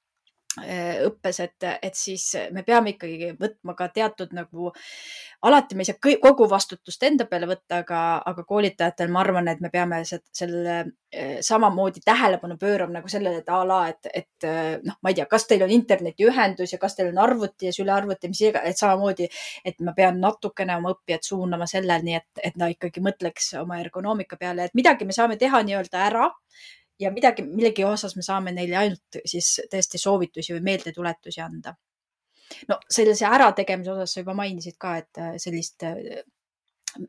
õppes, et, et siis me peame ikkagi võtma ka teatud nagu, alati me ei saa kogu vastutust enda peale võtta, aga, aga koolitajatel ma arvan, et me peame selle samamoodi tähelepanu pöörama nagu sellele, et a la, et, et noh, ma ei tea, kas teil on internetiühendus ja kas teil on arvuti ja süle arvuti, mis iga, et samamoodi, et ma pean natukene oma õppijat suunama selleni, et, et ta ikkagi mõtleks oma ergonoomika peale, et midagi me saame teha nii-öelda ära, ja midagi, millegi osas me saame neile ainult siis tõesti soovitusi või meeldetuletusi anda. No sellise ärategemise osas sa juba mainisid ka, et sellist,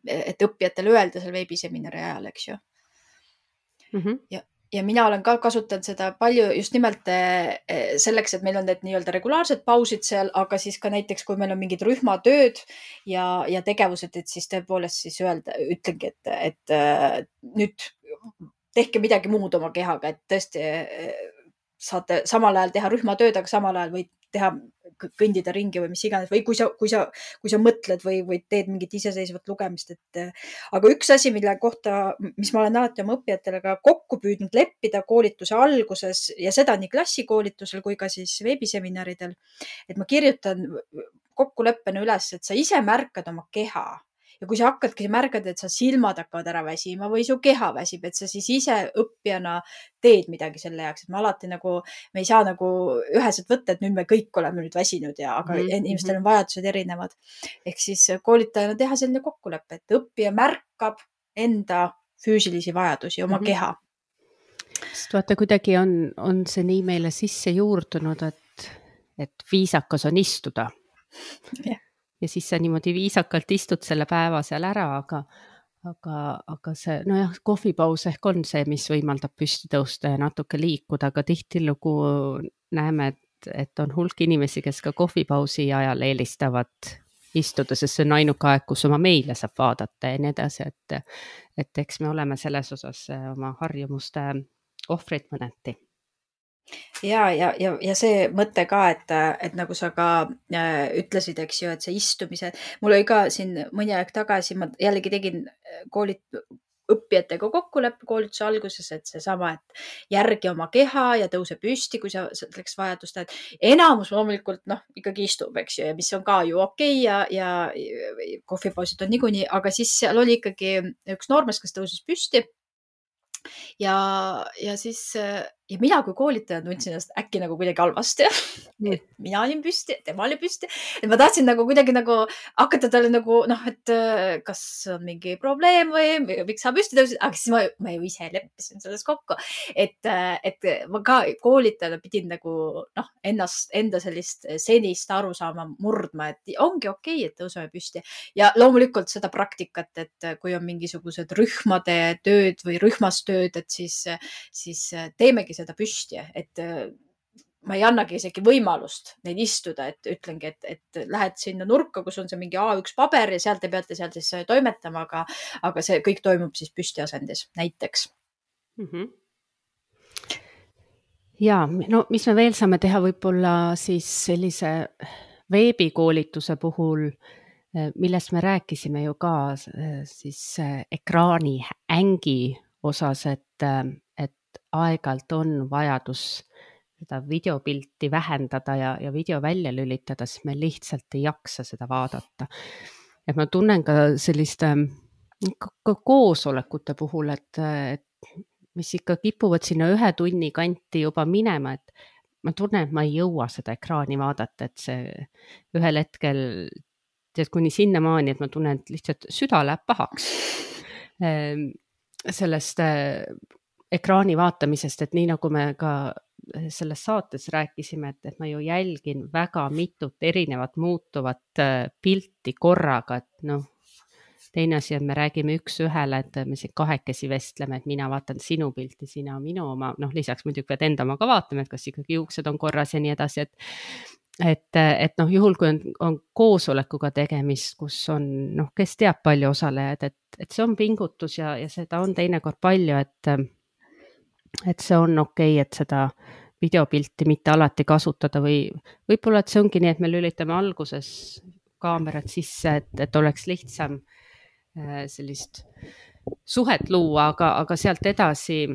et õppijatele öelda seal veebiseminari ajal, eks ju. Mm -hmm. Ja, ja mina olen ka kasutanud seda palju just nimelt selleks, et meil on need nii-öelda regulaarsed pausid seal, aga siis ka näiteks, kui meil on mingid rühmatööd ja, ja tegevused, et siis tõepoolest siis öelda, ütlengi, et, et nüüd tehke midagi muud oma kehaga, et tõesti saate samal ajal teha rühmatööd, aga samal ajal võid teha, kõndida ringi või mis iganes, või kui sa, kui sa, kui sa mõtled või, või teed mingit iseseisvat lugemist, et aga üks asi, mille kohta, mis ma olen alati oma õppijatele ka kokku püüdnud leppida koolituse alguses ja seda nii klassikoolitusel kui ka siis veebiseminaridel, et ma kirjutan kokkuleppena üles, et sa ise märkad oma keha ja kui sa hakkadki märgad, et sa silmad hakkavad ära väsima või su keha väsib, et sa siis ise õppijana teed midagi selle jaoks, et me alati nagu, me ei saa nagu üheselt võtta, et nüüd me kõik oleme nüüd väsinud ja, aga
Mhm,
inimestel
mhm.
on vajadused erinevad. Ehk siis koolitajana teha selline kokkulepe, et õppija märkab enda füüsilisi vajadusi, oma
Mhm.
keha.
Sest vaata, kuidagi on, on see nii meile sisse juurdunud, et, et viisakas on istuda.
Jah.
Ja siis sa niimoodi viisakalt istud selle päeva seal ära, aga, aga, aga see, nojah, kohvipaus ehk on see, mis võimaldab püsti tõusta ja natuke liikuda, aga tihtilugu näeme, et, et on hulk inimesi, kes ka kohvipausi ajal eelistavad istuda, sest see on ainuke aeg, kus oma meile saab vaadata ja nii edasi, et, et eks me oleme selles osas oma harjumuste ohvrid mõneti.
Ja, ja, ja, ja see mõte ka, et, et nagu sa ka äh, ütlesid, eks ju, et see istumise, mul oli ka siin mõni aeg tagasi, ma jällegi tegin koolit, õppijatega kokkuleppe koolituse alguses, et seesama, et järgi oma keha ja tõuse püsti, kui sa selleks vajadust näed. Enamus loomulikult, noh, ikkagi istub, eks ju, ja mis on ka ju okei ja, ja kohvipausid on niikuinii, aga siis seal oli ikkagi üks noormees, kes tõusis püsti. Ja, ja siis, ja mina kui koolitaja tundsin ennast äkki nagu kuidagi halvasti, et mina olin püsti, tema oli püsti. Et ma tahtsin nagu kuidagi nagu hakata talle nagu, noh, et kas on mingi probleem või miks sa püsti tõusid, aga siis ma, ma ju ise leppisin selles kokku. Et, et ma ka koolitajana pidin nagu, noh, ennast, enda sellist senist aru saama murdma, et ongi okei, et tõuseme püsti. Ja loomulikult seda praktikat, et kui on mingisugused rühmade tööd või rühmas tööd, et siis, siis teemegi seda püsti, et ma ei annagi isegi võimalust neid istuda, et ütlengi, et, et lähed sinna nurka, kus on see mingi A üks paber ja sealt te peate seal siis toimetama, aga, aga see kõik toimub siis püsti asendis näiteks.
Mm-hmm. Ja, no mis me veel saame teha võib-olla siis sellise veebikoolituse puhul, millest me rääkisime ju ka siis ekraani ängi osas, et, et aeg-ajalt on vajadus seda videopilti vähendada ja, ja video välja lülitada, siis me lihtsalt ei jaksa seda vaadata. Et ma tunnen ka selliste ka koosolekute puhul, et, et mis ikka kipuvad sinna ühe tunni kanti juba minema, et ma tunnen, et ma ei jõua seda ekraani vaadata, et see ühel hetkel tead kuni sinnamaani, et ma tunnen, et lihtsalt süda läheb pahaks sellest ekraani vaatamisest, et nii nagu me ka selles saates rääkisime, et, et ma ju jälgin väga mitut erinevat muutuvat pilti korraga, et noh, teine asi on, me räägime üks ühele, et me siin kahekesi vestleme, et mina vaatan sinu pilti, sina minu oma, noh, lisaks muidugi pead enda oma ka vaatama, et kas ikkagi juuksed on korras ja nii edasi, et et, et noh, juhul kui on, on koosolekuga tegemist, kus on, noh, kes teab palju osalejaid, et, et see on pingutus ja, ja seda on teinekord palju, et, et see on okei, et seda videopilti mitte alati kasutada või võib-olla, et see ongi nii, et me lülitame alguses kaamerad sisse, et, et oleks lihtsam sellist suhet luua, aga, aga sealt edasi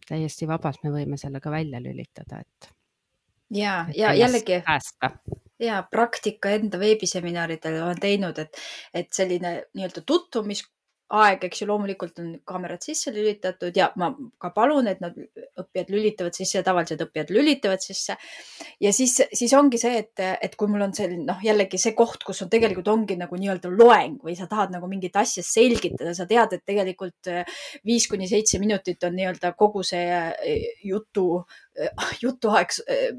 täiesti vabalt me võime selle ka välja lülitada, et
ja, ja jällegi
päästa.
Ja praktika enda veebiseminaridel olen teinud, et, et selline nii-öelda tutvumisaeg, eks ju, loomulikult on kaamerad sisse lülitatud ja ma ka palun, et nad õppijad lülitavad sisse ja tavalised õppijad lülitavad sisse. Ja siis, siis ongi see, et, et kui mul on selline, noh, jällegi see koht, kus on tegelikult ongi nagu nii-öelda loeng või sa tahad nagu mingit asja selgitada, sa tead, et tegelikult viis kuni seitse minutit on nii-öelda kogu see jutu jutuaeg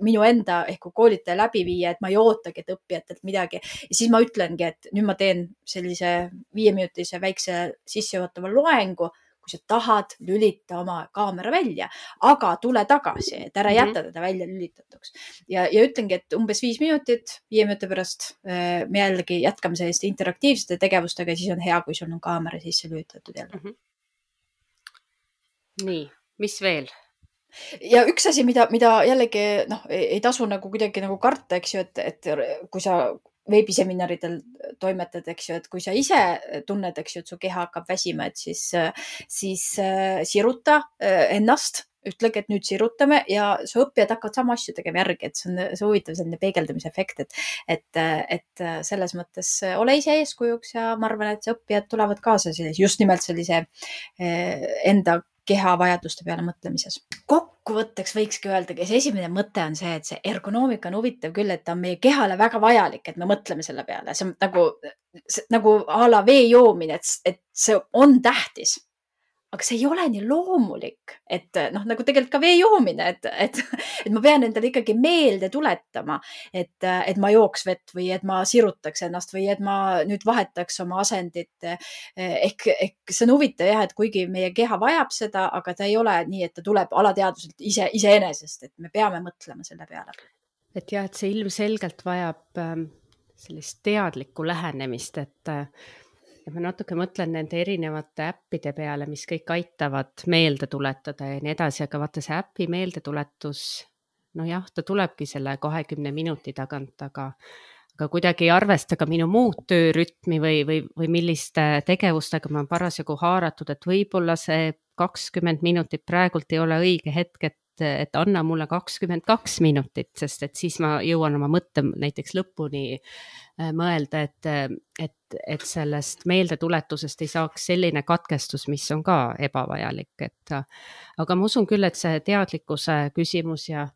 minu enda ehk koolitaja läbi viia, et ma ei ootagi, et õppijatelt midagi. Ja siis ma ütlengi, et nüüd ma teen sellise viieminutise väikse sissejuhatava loengu, kui sa tahad, lülita oma kaamera välja, aga tule tagasi, et ära jätta teda välja lülitatuks. Ja, ja ütlengi, et umbes viis minutit, viie minuti pärast me jällegi jätkame selliste interaktiivsete tegevustega ja siis on hea, kui sul on kaamera sisse lülitatud jälle.
Mm-hmm. Nii, mis veel?
Ja üks asi, mida, mida jällegi noh, ei tasu nagu kuidagi nagu karta, eks ju, et, et kui sa veebiseminaridel toimetad, eks ju, et kui sa ise tunned, eks ju, et su keha hakkab väsima, et siis, siis siruta ennast ütlegi, et nüüd sirutame ja su õppijad hakkavad sama asju tegema järgi, et see on see huvitav selline peegeldamise efekt, et, et, et selles mõttes ole ise eeskujuks ja ma arvan, et see õppijad tulevad kaasa sellise, just nimelt sellise enda keha vajaduste peale mõtlemises. Kokkuvõtteks võikski öelda, et esimene mõte on see, et see ergonoomika on huvitav küll, et ta on meie kehale väga vajalik, et me mõtleme selle peale. See on nagu, nagu a la vee joomine, et, et see on tähtis. Aga see ei ole nii loomulik, et noh, nagu tegelikult ka vee joomine, et, et, et ma pean endale ikkagi meelde tuletama, et, et ma jooks vett või et ma sirutaks ennast või et ma nüüd vahetaks oma asendit. Ehk, ehk see on huvitav jah, et kuigi meie keha vajab seda, aga ta ei ole nii, et ta tuleb alateadvuselt ise, iseenesest, et me peame mõtlema selle peale.
Et jah, et see ilmselgelt vajab sellist teadlikku lähenemist, et ja ma natuke mõtlen nende erinevate äppide peale, mis kõik aitavad meelde tuletada ja nii edasi, aga vaata see äpi meeldetuletus, no jah, ta tulebki selle kahekümne minuti tagant, aga, aga kuidagi ei arvesta ka minu muud töörütmi või, või, või milliste tegevustega ma parasjagu haaratud, et võib-olla see kakskümmend minutit praegult ei ole õige hetk, et et anna mulle kakskümmend kaks minutit, sest et siis ma jõuan oma mõtte näiteks lõpuni mõelda, et, et, et sellest meeldetuletusest ei saaks selline katkestus, mis on ka ebavajalik. Et, aga ma usun küll, et see teadlikkuse küsimus ja,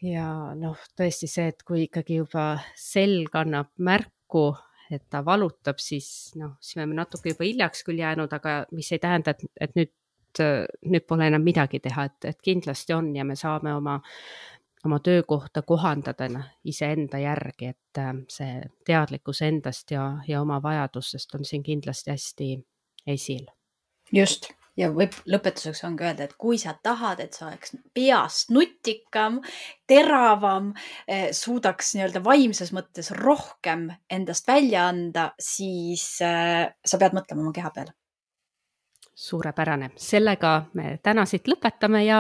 ja noh, tõesti see, et kui ikkagi juba selg annab märku, et ta valutab, siis noh, siis me natuke juba hiljaks küll jäänud, aga mis ei tähenda, et, et nüüd nüüd pole enam midagi teha, et, et kindlasti on ja me saame oma, oma töökohta kohandada iseenda järgi, et see teadlikkus endast ja, ja oma vajadusest on siin kindlasti hästi esil.
Just, ja võib lõpetuseks on ka öelda, et kui sa tahad, et sa oleks peast nutikam, teravam, suudaks nii-öelda vaimses mõttes rohkem endast välja anda, siis sa pead mõtlema oma keha peale.
Suurepärane. Sellega me täna siit lõpetame ja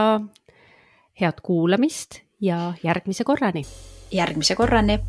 head kuulamist ja järgmise korrani.
Järgmise korrani.